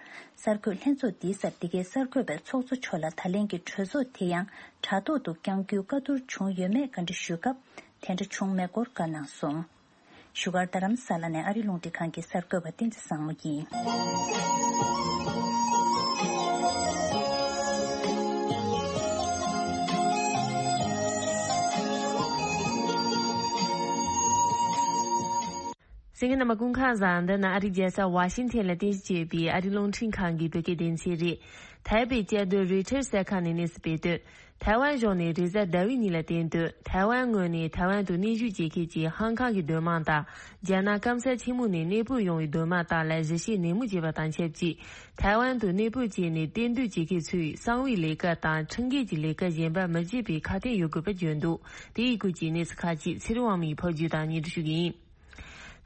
གསར་འགོད་ལྷན་ཚོགས་འདིའི་སར་འདི་གའི་གསར་འགོད་པས་ཚོགས་གཙོ་མཆོག་ལ་ད་ལན་གྱི་གྲོས་ཚོགས་དེ་ཡང་དྲ་ཐོག་ཏུ་བསྐྱང་རྒྱུའི་བཀའ་བསྡུར་བྱུང་ཡོད་མེད་བཀའ་འདྲི་ཞུས་སྐབས། དེ་འདྲ་བྱུང་མེད་སྐོར་བཀའ་གནང་སོང་། བཞུགས་སྒར་རྡ་རམ་ས་ལ་ནས་ཨ་རི་རླུང་འཕྲིན་ཁང་གི་གསར་འགོད་པ་བསྟན་འཛིན་བཟང་མོ་ཡིན། གསན་མཁན་རྣམ་པ་སྐུ་ཁམས་བཟང་། འདི་ནི་ཨ་རིའི་རྒྱལ་ས་ཝ་ཤིང་ཐན་ལ་རྟེན་གཞི་བྱས་པའི་ཨ་རིའི་རླུང་འཕྲིན་ཁང་གི་བོད་སྐད་སྡེ་ཚན་རེད། ཐའེ་པེ་བཅའ་སྡོད་རོའི་ཊར་གསར་ཁང་ནས་གནས་ཚུལ་སྤེལ་དོན། ཐའེ་ཝན་གཞུང་ནས་རེས་གཟའ་ཟླ་བའི་ཉིན་ལ་བསྟན་དོན། ཐའེ་ཝན་ངོས་ནས་ཐའེ་ཝན་དུ་གནས་བཞུགས་བྱེད་མཁན་གྱི་ཧང་ཀང་གི་སྡོད་དམངས་དང་། རྒྱ་ནག་སྐམ་ས་ཆེན་མོ་ནས་གནས་སྤོས་ཡོང་བའི་སྡོད་དམངས་དག་ལ་གཞིས་བྱེས་ནད་མུག་བྱས་པ་དང་ཆབས་ཅིག་ཐའེ་ཝན་དུ་གནས་སྤོས་བྱས་ནས་གཏན་སྡོད་བྱེད་མཁན་ཚོས་གསང་བའི་ལས་ཀ་དང་ཁྲིམས་འགལ་གྱི་ལས་ཀ་གཞན་པ་མི་བྱེད་པའི་ཁ་གཏད་ཡོད་དགོས་པ་བརྗོད་འདུག་དེ་ཡི་སྐོར་གྱི་གནས་ཚུལ་ཁག་ཅིག་ཚེ་རིང་དབང་མོས་ཕབ་སྒྱུར་དང་སྙན་སྒྲོན་ཞུ་གི་ཡིན།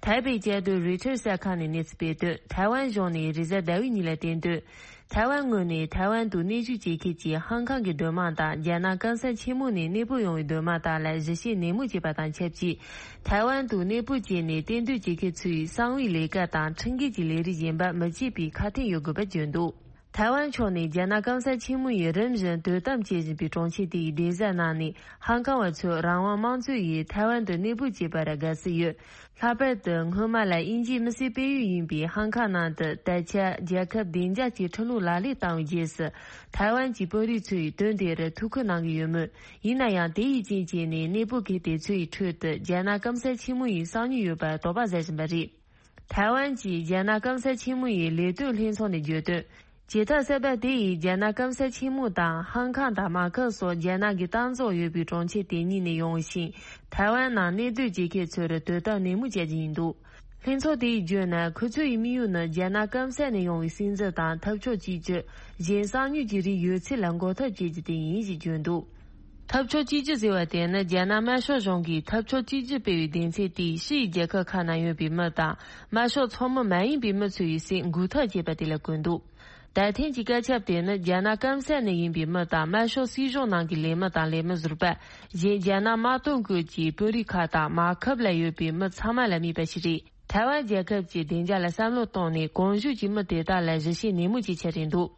ཐའེ་པེ་བཅའ་སྡོད་རོའི་ཊར་གསར་ཁང་ནས་གནས་ཚུལ་སྤེལ་དོན། ཐའེ་ཝན་གཞུང་ནས་རེས་གཟའ་ཟླ་བའི་ཉིན་ལ་བསྟན་དོན། ཐའེ་ཝན་ངོས་ནས་ཐའེ་ཝན་དུ་གནས་བཞུགས་བྱེད་མཁན་གྱི་ཧང་ཀང་གི་སྡོད་དམངས་དང་རྒྱ་ནག་སྐམ་ས་ཆེན་མོ་ནས་གནས་སྤོ་ཡོང་བའི་སྡོད་དམངས་དག་ལ་གཞི་བྱེས་ནན་མོ་བྱས་པ་དང་ཆབས་ཅིག་ཐའེ་ཝན་དུ་གནས་སྤོ་བྱས་ནས་གཏན་སྡོད་བྱེད་མཁན་ཚོའི་གསང་བའི་ལས་ཀ་དང་ཁྲིམས་འགལ་གྱི་ལས་རིགས་གཞན་པ་མི་བྱེད་པའི་ཁ་འཕྲིན་ཡོད་དགོས་པ་བརྗོད་འདུག་ཐའེ་ཝན་ཕྱོགས་ནས་རྒྱ་ནག་སྐམ་ས་ཆེན་མོ་ཡིས་རིམ་བཞིན་དོ་དམ་བྱེད་བཞིན་པའི་གྲོང་ཁྱེར་དེའི་སྡེ་གཟར་ནང་ནས་ཧང་ཀང་བ་ཚོས་རང་དབང་དམངས་གཙོ་ཡིས་ཐའེ་ཝན་དུ་གནས་སྤོ་བྱས་པར་དགའ་བསུ་ཡོད། ལྷག་པར་དུ་སྔོན་མ་ལ་དབྱིན་ཇིའི་མི་སེར་སྤེལ་ཡུལ་ཡིན་པའི་ཧང་ཀང་ནང་དུ་ད་ཆ་རྒྱལ་ཁབ་བདེ་འཇགས་ཀྱི་ཁྲིམས་ལུགས་ལག་ལེན་བཏང་བའི་རྗེས་སུ་ཐའེ་ཝན་གྱི་དཔོན་རིགས་ཚོས་དོན་དེར་ཐུགས་ཁུར་གནང་གི་ཡོད་མོད། ཡིན་ན་ཡང་དེ་ཡི་རྐྱེན་བྱས་ནས་གནས་སྤོ་མཁན་དེ་ཚོའི་ཁྲོད་དུ་རྒྱ་ནག་སྐམ་ས་ཆེན་མོ་ཡི་གསང་མྱུལ་ཡོད་པར་དོགས་པ་ཟ་བཞིན་པ་རེད། ཐའེ་ཝན་གྱིས་རྒྱ་ནག་སྐམ་ས་ཆེན་མོ་ཡི་ལས་དོན་ལྷན་ཚོགས་ནས་བརྗོད་དོན། བྱེད་ཐབས་གསར་པ་དེ་ཡིས་རྒྱ་ནག་སྐམ་ས་ཆེན་མོ་དང་ཧང་ཀང་དང་མ་ཁབ་སོགས་རྒྱ་ནག་གི་གཏན་ཚོགས་ཡོད་པའི་གྲོང་ཁྱེར་དེ་གཉིས་ནས་ཡོང་ཞིང་ཐའེ་ཝན་ནང་གནས་སྡོད་བྱེད་མཁན་ཚོར་དོ་དམ་ནན་མོ་བྱ་རྒྱུ་ཡིན་འདུག་ལྷན་ཚོགས་དེ་ཡིས་བརྗོད་ན། ཁོ་ཚོ་ཡི་དམིགས་ཡུལ་ནི་རྒྱ་ནག་སྐམ་ས་ནས་ཡོང་བའི་སྲིད་འཛིན་དང་འཐབ་ཕྱོགས་གཅིག་གྱུར། གཞན་གསང་མྱུལ་གྱི་རིགས་ཡོད་ཚད་ལ་འགོག་ཐབས་བྱེད་རྒྱུ་དེ་ཡིན་ཞེས་བརྗོད་འདུག་འཐབ་ཕྱོགས་གཅིག་གྱུར་ཟེར་བ་དེ་ནི་རྒྱ་ནག་དམར་ཤོག་གཞུང་གིས་འཐབ་ཕྱོགས་གཅིག་གྱུར་སྤེལ་བའི་སྡེ་ཚན་དེས་ཕྱི་ཡི་རྒྱལ་ཁབ་ཁག་ནང་ཡོད་པའི་མི་དང་དམར་ཤོག་ཚོགས་མི་མ་ཡིན་པའི་མི་ཚོ་ཡི་སྲིད་འགུག་ཐབས་བྱེད་པ་དེ་ལ་གོ་འདུག་ད་ཐེངས་ཀྱི་བཀའ་ཁྱབ་དེ་ནི་རྒྱ་ནག་སྐམ་ས་ནས་ཡིན་པའི་མི་དང་དམར་ཤོག་སྲིད་གཞུང་ནང་གི་ལས་མི་དང་ལས་མི་ཟུར་པ། གཞན་རྒྱ་ནག་དམར་དོན་ཁུལ་གྱི་དཔོན་རིགས་ཁག་དང་མ་ཁབ་ལ་ཡོད་པའི་མི་ཚང་མ་ལ་དམིགས་པ་ཞིག་རེད། ཐའེ་ཝན་རྒྱལ་ཁབ་ཀྱི་བདེ་འཇགས་ལ་བསམ་བློ་བཏང་ནས་གོང་ཞུས་ཀྱི་མི་དེ་དག་ལ་ཞིབ་བཤེར་ནན་མོ་བྱེད་འཆར་རེད་འདུག་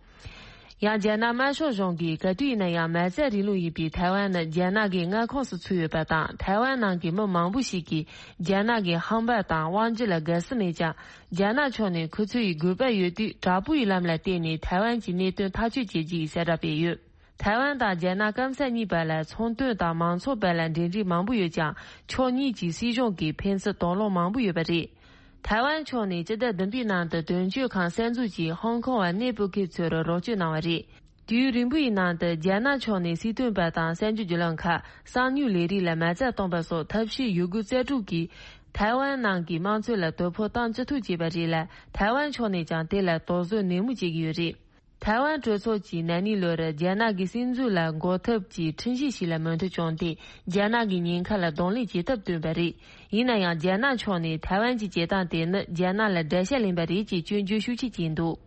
ཡང་རྒྱ་ནག་དམར་ཤོག་གཞུང་གིས་ག་དུས་ཡིན་ན་ཡང་མ་རྩ་རིང་ལུགས་ཡིན་པའི་ཐའེ་ཝན་ནི་རྒྱ་ནག་གི་མངའ་ཁོངས་སུ་ཚུད་ཡོད་པ་དང་། ཐའེ་ཝན་ནང་གི་མི་མང་པོ་ཞིག་གིས་རྒྱ་ནག་གི་ཧམ་པ་དང་དབང་སྒྱུར་ལ་དགའ་བསུ་མེད་ཀྱང་། རྒྱ་ནག་ཕྱོགས་ནས་ཁོ་ཚོ་ཡི་དགོས་པ་ཡོད་དུས་དྲག་པོའི་ལམ་ལ་བརྟེན་ནས་ཐའེ་ཝན་གྱི་གནད་དོན་ཐག་གཅོད་བྱེད་རྒྱུ་ཡི་གསལ་བསྒྲགས་སྤེལ་ཡོད། ཐའེ་ཝན་དང་རྒྱ་ནག་སྐམ་ས་གཉིས་བར་ལ་ཚོང་དོན་དང་མང་ཚོགས་བར་ལ་འབྲེལ་འདྲིས་མང་པོ་ཡོད་ཀྱང་། ཕྱོགས་གཉིས་ཀྱི་སྲིད་གཞུང་གིས་ཕན་ཚུན་དོགས་སློང་མང་པོ་ཡོད་པ་རེད། ཐའེ་ཝན་ཕྱོགས་ནས་སྤྱི་ཟླ་བདུན་པའི་ནང་དུ་དོན་གཅོད་ཁང་གསར་འཛུགས་ཀྱིས་ཧོང་ཀོང་བར་གནས་སྤོ་མཁན་ཚོར་རོགས་སྐྱོར་གནང་བ་རེད། དུས་ཡུན་རིང་པོ་ཡི་ནང་དུ་རྒྱ་ནག་ཕྱོགས་ནས་སྲིད་དོན་པ་དང་གསར་འགྱུར་བརྒྱུད་ལམ་ཁག་གསང་མྱུལ་ལས་རིགས་ལ་མ་རྩ་བཏང་པ་སོགས་ཐབས་ཤེས་ཡོད་དགུ་རྩལ་སྤྲུགས་ཀྱིས་ཐའེ་ཝན་ནང་གི་དམངས་གཙོ་ལ་དོ་ཕོག་བཏང་ཅི་ཐུབ་བྱས་པ་རེད་ལ། ཐའེ་ཝན་ཕྱོགས་ནས་ཀྱང་དེ་ལ་དོགས་ཟོན་ནན་མོ་བྱེད་ཀྱི་ཡོད་རེད། ཐའེ་ཝན་གྲོས་ཚོགས་ཀྱིས་ན་ནིང་ལོར་རྒྱ་ནག་གི་སྲིད་འཛུགས་ལ་འགོག་ཐབས་ཀྱི་ཁྲིམས་གཞི་ཞིག་ལ་མོས་མཐུན་བྱུང་སྟེ། རྒྱ་ནག་གི་ཉེན་ཁ་ལ་གདོང་ལེན་བྱེད་ཐབས་བཏོན་པ་རེད། ཡིན་ན་ཡང་རྒྱ་ནག་ཕྱོགས་ནས་ཐའེ་ཝན་གྱི་བྱེད་སྟངས་དེ་ནི་རྒྱ་ནག་ལ་དགྲ་ཤ་ལེན་པ་རེད་ཅེས་སྐྱོན་བརྗོད་ཤུགས་ཆེ་བྱས་འདུག་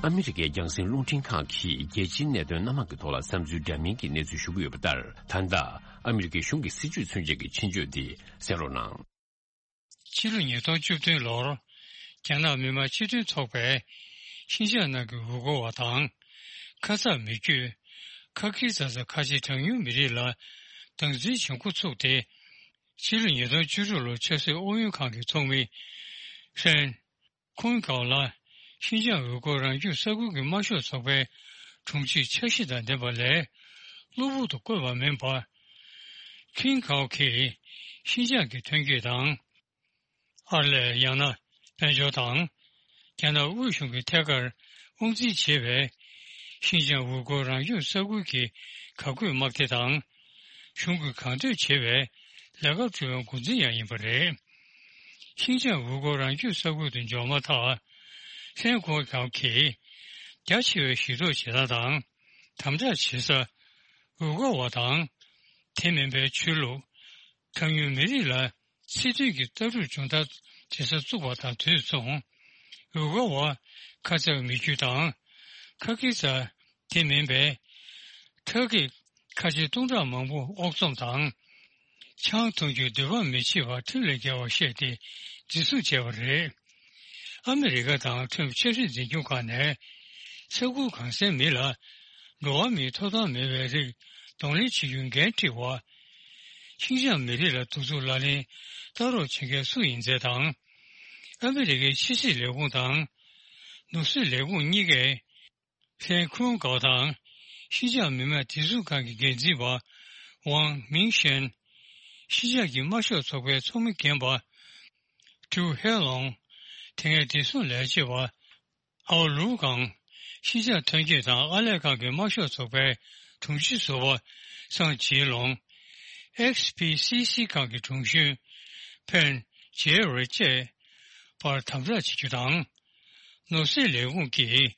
ཨ་མི་རི་ཀའི་རྒྱང་སྲིང་རླུང་འཕྲིན་ཁང་གིས་རྒྱལ་སྤྱིའི་གནད་དོན་སྣ་མང་གི་ཐོག་ལ་བསམ་ཚུལ་འདྲ་མིན་གྱི་གནས་ཚུལ་ཞུ་གི་ཡོད་པ་ལྟར། ད་ལྟ་ཨ་མི་རི་ཀའི་གཞུང་གི་སྲིད་ཇུས་མཚོན་བྱེད་ཀྱི་ཆེད་བརྗོད་འདི་གསན་རོགས་གནང་། ཕྱི་ལོ་ཉིས་སྟོང་བཅུ་བདུན་ལོར་རྒྱ་ནག་མི་དམངས་སྤྱི་མཐུན་ཚོགས་པས་ཤིན་ཅང་ནང་གི་ཝུ་གོ་བ་དང་། ཁ་ཙ་མི་རྒྱུད། ཁ་ཁི་ཙ་ཙ་ཁ་ཆེ་གྲངས་ཉུང་མི་རིགས་ལ་སྡང་འཛིན་བྱེད་འགོ་ཚུགས་ཏེ། ཕྱི་ལོ་ཉིས་སྟོང་བཅུ་དྲུག་ལོར་ཆབ་སྲིད་ཨུ་ཡོན་ཁང་གི་ཚོགས་མི་ཧྲན་ཁུན་ཀའོ་ལ་ཤིན་ཅང་ཝུ་གོ་རང་སྐྱོང་ས་ཁུལ་གྱི་དམར་ཤོག་ཚོགས་པའི་དྲུང་ཆེའི་འཆར་གཞི་དང་ལྡན་པ་ལས་གློ་བུར་དུ་བསྐོས་པ་མིན་པར། ཁུན་ཀའོ་གིས་ཤིན་ཅང་གི་ཐོན་སྐྱེད་དང་། ཨར་ལས་ཡང་ན་དཔལ་འབྱོར་དང་། རྒྱ་ནག་དབུས་གཞུང་གི་ཐད་ཀར་དབང་འཛིན་བྱེད་པའི་ཤིན་ཅང་ཝུ་གོ་རང་སྐྱོང་ས་ཁུལ་གྱི་བཀའ་བཀོད་དམག་སྡེ་དང་། གཞུང་གིས་གང་འདོད་བྱེད་པའི་ལས་ཀ་སྤྲོད་པའི་འགོ་འཛིན་ཡང་ཡིན་པ་རེད། ཤིན་ཅང་ཝུ་གོ་རང་སྐྱོང་ས་ཁུལ་དུ་འབྱོར་མ་ཐག་ཧྲན་ཁོ་ཁའོ་གིས་རྒྱ་ཆེ་བའི་ཞི་གྲོགས་བྱེད་སྟངས་དང་། དམ་དྲག་བྱེད་ས། ཝུ་གོ་བ་དང་། དེ་མིན་པའི་ཆོས་ལུགས། གྲངས་ཉུང་མི་རིགས་ལ་སྲིད་དོན་གྱི་ལྟ་གྲུབ་སྦྱོང་བརྡར་བྱེད་ས་བཙུགས་པ་དང་དུས་མཚུངས། ཝུ་གོ་བ་ཁ་ཚ་མི་རྒྱུད་དང་། ཁ་ཁི་ཙ་དེ་མིན་པའི་ཁྲག་གི་ཁ་ཆེ་སྟོང་ཕྲག་མང་པོ་ཨོག་ཚོམ་དང་། ཆང་འཐུང་རྒྱུའི་འདོད་པ་མི་བྱེད་པར་ཁྲིམས་ལས་འགལ་བ་བཤད་དེ་འཛིན་བཟུང་བྱས་པ་རེད། ཨ་མི་རི་ཀ་དང་ཁྲོམ་ཆབ་སྲིད་འཛིན་སྐྱོང་ཁང་ནས་ས་ཁུལ་གང་སའི་མི་ལ་འགྲོ་བ་མིའི་ཐོབ་ཐང་མེད་པའི་རིགས་གདོང་ལེན་བྱེད་རྒྱུའི་འགན་འཁྲི་བ། ཤིན་ཅང་མི་རིགས་ལ་གདུག་རྩུབ་ལག་ལེན་ལྟ་རོགས་བྱེད་མཁན་སུ་ཡིན་ཚད་དང་། ཨ་མི་རི་ཀའི་ཕྱི་སྲིད་ལས་ཁུངས་དང་། ནོར་སྲིད་ལས་ཁུངས་གཉིས་ཀས། ཧྲེན་ཁུན་ཀའོ་དང་ཤིན་ཅང་མི་དམངས་བདེ་སྲུང་ཁང་གི་འགན་འཛིན་པ་ཝང་མིང་ཤན། ཤིན་ཅང་གི་དམར་ཤོག་ཚོགས་པའི་ཚོགས་མི་རྒན་པ་ཀྲུའུ་ཧེ་ལོང་། དེ་སྔའི་བདེ་སྲུང་ལས་བྱེད་པ་ཨའོ་ལུའུ་ཀང་། ཤིན་ཅང་ཐོན་སྐྱེད་དང་ཨར་ལས་ཁང་གི་དམར་ཤོག་ཚོགས་པའི་དྲུང་ཆེ་ཟུར་པ་ སངས་ཇེ་ལོང་། ཨེག་སི་པི་སི་སི་ཁང་གི་དྲུང་གཞོན་ཕན་ཇེ་རེ་བཅས་པར་དམ་དྲག་བྱེད་རྒྱུ་དང་། ནོར་སྲིད་ལས་ཁུངས་ཀྱིས་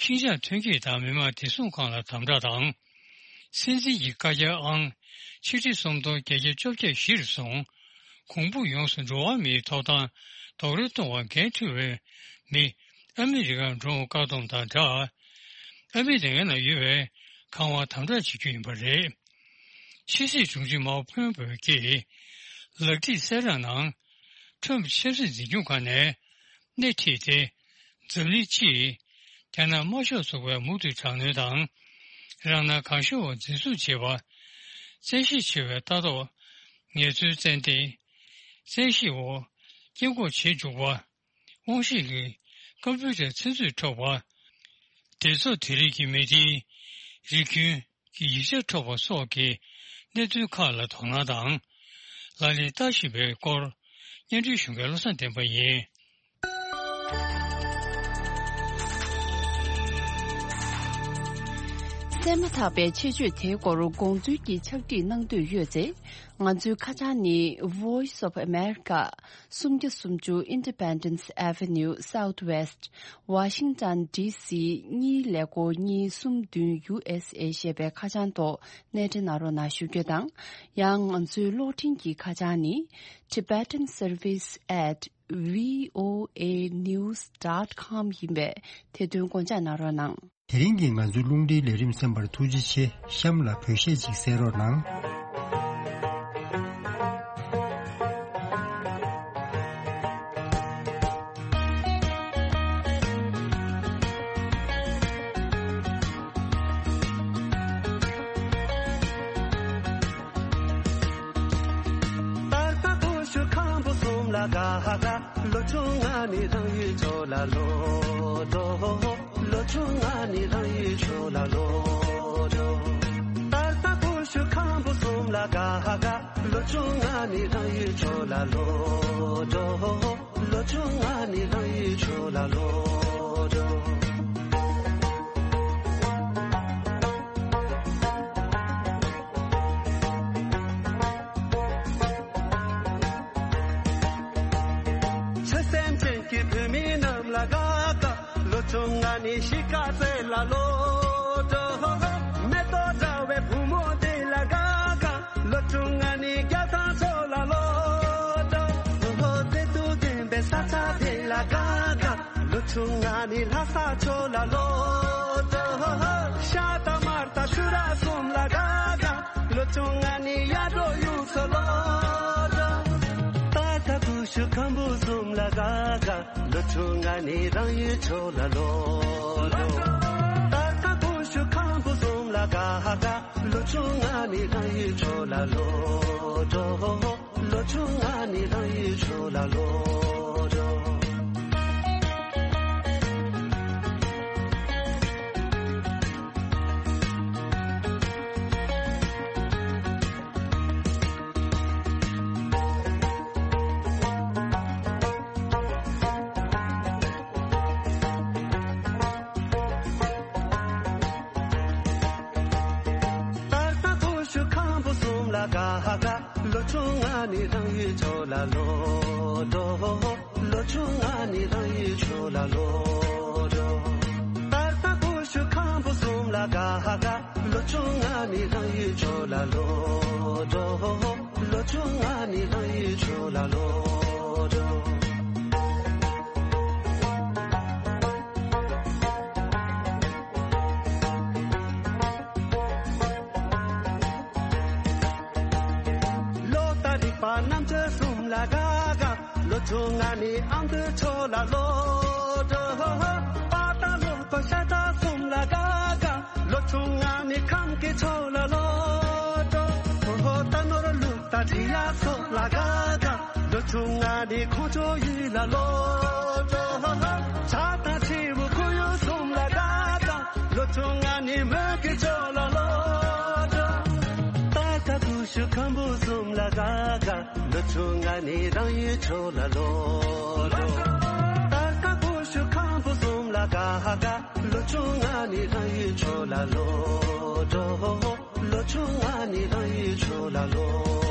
ཤིན་ཅང་ཐོན་སྐྱེད་དང་མི་དམངས་བདེ་སྲུང་ཁང་ལ་དམ་དྲག་དང་། སྲིད་འཛིན་གྱི་བཀའ་རྒྱ་ཨང་ཆིག་ཁྲི་སུམ་སྟོང་བརྒྱད་བརྒྱ་བཅོ་བརྒྱད་གཞིར་བཟུང་། གོང་བུ་ཡོངས་སུ་འགྲོ་བ་མིའི་ཐོབ་ཐང་རྡོག་རོལ་གཏོང་བར་འགན་འཁྲི་བའི་མི་ཨ་མི་རི་ཀར་འགྲོ་བཀག་སྡོམ་དང་སྦྲགས། ཨ་མི་རི་ཀའི་ནང་ཡོད་པའི་ཁང་བ་དམ་དྲག་བྱེད་རྒྱུ་ཡིན་པ་རེད། ཕྱི་སྲིད་དྲུང་ཆེ་མའོ་ཕོན་པོ་གྱིས་ལག་བྲིས་གསལ་བསྒྲགས་ནང་ཁྲོམ་ཆབ་སྲིད་འཛིན་སྐྱོང་ཁང་ནས་སྣེ་ཁྲིད་དེ། འཛམ་གླིང་སྤྱིས་རྒྱ་ནག་དམར་ཤོག་ཚོགས་པའི་མུ་མཐུད་དྲག་གནོན་དང་། རང་སྣང་གང་ཤོར་བ་འཛིན་བཟུང་བྱེད་པ། བཙན་ཤེད་ཆེ་བའི་ལྟ་རྟོག་ངལ་རྩོལ་བཙན་ལྡན། བཙན་ཤེད་འོག་སྐྱེ་འགོག་བྱེད་འཇུག་པ། དབང་ཤེད་ཀྱི་ཀམ་པུ་ཊར་ཚིག་མཛོད་འཕྲོག་པ། སྡེ་ཚོགས་དེ་རིགས་ཀྱི་མི་སྡེའི་རིགས་རྒྱུན་གྱི་ཡིག་ཆ་འཕྲོག་པ་སོགས་ཀྱི་གནད་དོན་ཁག་ལ་དོ་སྣང་དང་། ལག་ལེན་བསྟར་བཞིན་པའི་སྐོར་སྙན་སྒྲོན་ཞུ་མཁན་བློ་བཟང་བསྟན་པ་ཡིན། གསན་མ་ཐག་པའི་ཆེད་བརྗོད་དེའི་སྐོར་དགོངས་ཚུལ་གྱི་ཕྱག་བྲིས་གནང་འདོད་ཡོད་ཚེ། ང་ཚོའི་ཁ་བྱང་ནི། Voice of America། སུམ་བརྒྱ་སུམ་ཅུ་Independence Avenue Southwest Washington D C གཉིས་ཀླད་ཀོར་གཉིས་གསུམ་བདུན་U S A ཞེས་པའི་ཁ་བྱང་ཐོག་གནས་འདྲི་གནང་རོགས་གནང་ཞུ་རྒྱུ་དང་། ཡང་ང་ཚོའི་གློག་འཕྲིན་གྱི་ཁ་བྱང་ནི། Tibetan Service at V O A news dot com ཡིན་པས་དེ་དོན་དགོངས་འཇགས་གནང་རོགས་གནང་། དེ་རིང་གི་ང་ཚོའི་རླུང་འཕྲིན་ལས་རིམ་གསན་པར་ཐུགས་རྗེ་ཆེ། གཤམ་ལ་བོད་གཞས་ཅིག་གསན་རོགས་གནང་། ལོ་ཆུང་ང་ནི་རང་ཡུལ་ཕྱོགས་ལ་ལོག་འགྲོ། ལོ་ཆུང་ང་ནི་རང་ཡུལ་ཕྱོགས་ལ་ལོག་འགྲོ། ད་ལྟ་ཀུ་ཤུ་ཁམ་བུ་གསུམ་ལ་དགའ་དགའ། ལོ་ཆུང་ང་ནི་རང་ཡུལ་ཕྱོགས་ལ་ལོག་འགྲོ། ལོ་ཆུང་ང་ནི་རང་ཡུལ་ཕྱོགས་ལ་ལོག་འགྲོ། ཆོས་སེམས་ཅན་གྱི་བོད་མི་རྣམས་ལ་དགའ་དགའ། ལོ་ཆུང་ང་ནི་གཞིས་ཀ་རྩེ་ལ་ལོག་འགྲོ། མེ་ཏོག་འདྲ་བའི་བུ་མོ་དེ་ལ་དགའ་དགའ། ལོ་ཆུང་ང་ནི་རྒྱ་ཐང་ཕྱོགས་ལ་ལོག་འགྲོ། བདེ་སྡུག་ལྡན་པའི་ས་ཆ་དེ་ལ་དགའ་དགའ། ལོ་ཆུང་ང་ནི་ལྷ་ས་ཕྱོགས་ལ་ལོག་འགྲོ། ཤ་དང་མར་དང་ཆུ་ར་གསུམ་ལ་དགའ་དགའ། ལོ་ཆུང་ང་ནི་ཡར་འབྲོག་གཡུ་མཚོ་ལོག་འགྲོ། ད་ལྟ་ཀུ་ཤུ་ཁམ་བུ་གསུམ་ལ་དགའ་དགའ། ལོ་ཆུང་ང་ནི་རང་ཡུལ་ཕྱོགས་ལ་ལོག་འགྲོ། ད་ལྟ་ཀུ་ཤུ་ཁམ་བུ་གསུམ་ལ་དགའ་དགའ། ལོ་ཆུང་ང་ནི་རང་ཡུལ་ཕྱོགས་ལ་ལོག་འགྲོ། ལོ་ཆུང་ང་ནི་རང་ཡུལ་ཕྱོགས་ལ་ལོག་འགྲོ། ད་ལྟ་ཀུ་ཤུ་ཁམ་བུ་གསུམ་ལ་དགའ་དགའ། ལོ་ཆུང་ང་ནི་རང་ཡུལ་ཕྱོགས་ལ་ལོག་འགྲོ། ལོ་ཆུང་ང་ནི་རང་ཡུལ་ཕྱོགས་ལ་ལོག་འགྲོ། ད་ལྟ་ཀུ་ཤུ་ཁམ་བུ་གསུམ་ལ་དགའ་དགའ། ལོ་ཆུང་ང་ནི་རང་ཡུལ་ཕྱོགས་ལ་ལོག་འགྲོ། ལོ་ཆུང་ང་ནི་རང་ཡུལ་ཕྱོགས་ལ་ལོག་འགྲོ། ལོ་དང་རིག་པ་རྣམ་དཔྱོད་གསུམ་ལ་དགའ་དགའ། ལོ་ཆུང་ང་ནི་ཨ་མདོའི་ཕྱོགས་ལ་ལོག་འགྲོ། པ་དང་ལུག་པ་ཤ་ཁྲག་གསུམ་ལ་དགའ་དགའ། ལོ་ཆུང་ང་ནི་ཁམས་ཀྱི་ཕྱོགས་ལ་ལོག་འགྲོ། རྟ་ནོར་ལུག་དང་འབྲི་གཡག་སོགས་ལ་དགའ་དགའ། ལོ་ཆུང་ང་ནི་ཁོང་ཆོ་ཡུལ་ལ་ལོག་འགྲོ། བྱ་དང་བྱིའུ་ཁོར་ཡུག་གསུམ་ལ་དགའ་དགའ། ལོ་ཆུང་ང་ནི་མོན་གྱི་ཕྱོགས་ལ་ལོག་འགྲོ། ད་ལྟ་ཀུ་ཤུ་ཁམ་བུ་གསུམ་ལ་དགའ་དགའ། ལོ་ཆུང་ང་ནི་རང་ཡུལ་ཕྱོགས་ལ་ལོག་འགྲོ། ད་ལྟ་ཀུ་ཤུ་ཁམ་བུ་གསུམ་ལ་དགའ་དགའ། ལོ་ཆུང་ང་ནི་རང་ཡུལ་ཕྱོགས་ལ་ལོག་འགྲོ། ལོ་ ཆུང་ང་ནི་རང་ཡུལ་ཆུ་ལ་ལོ།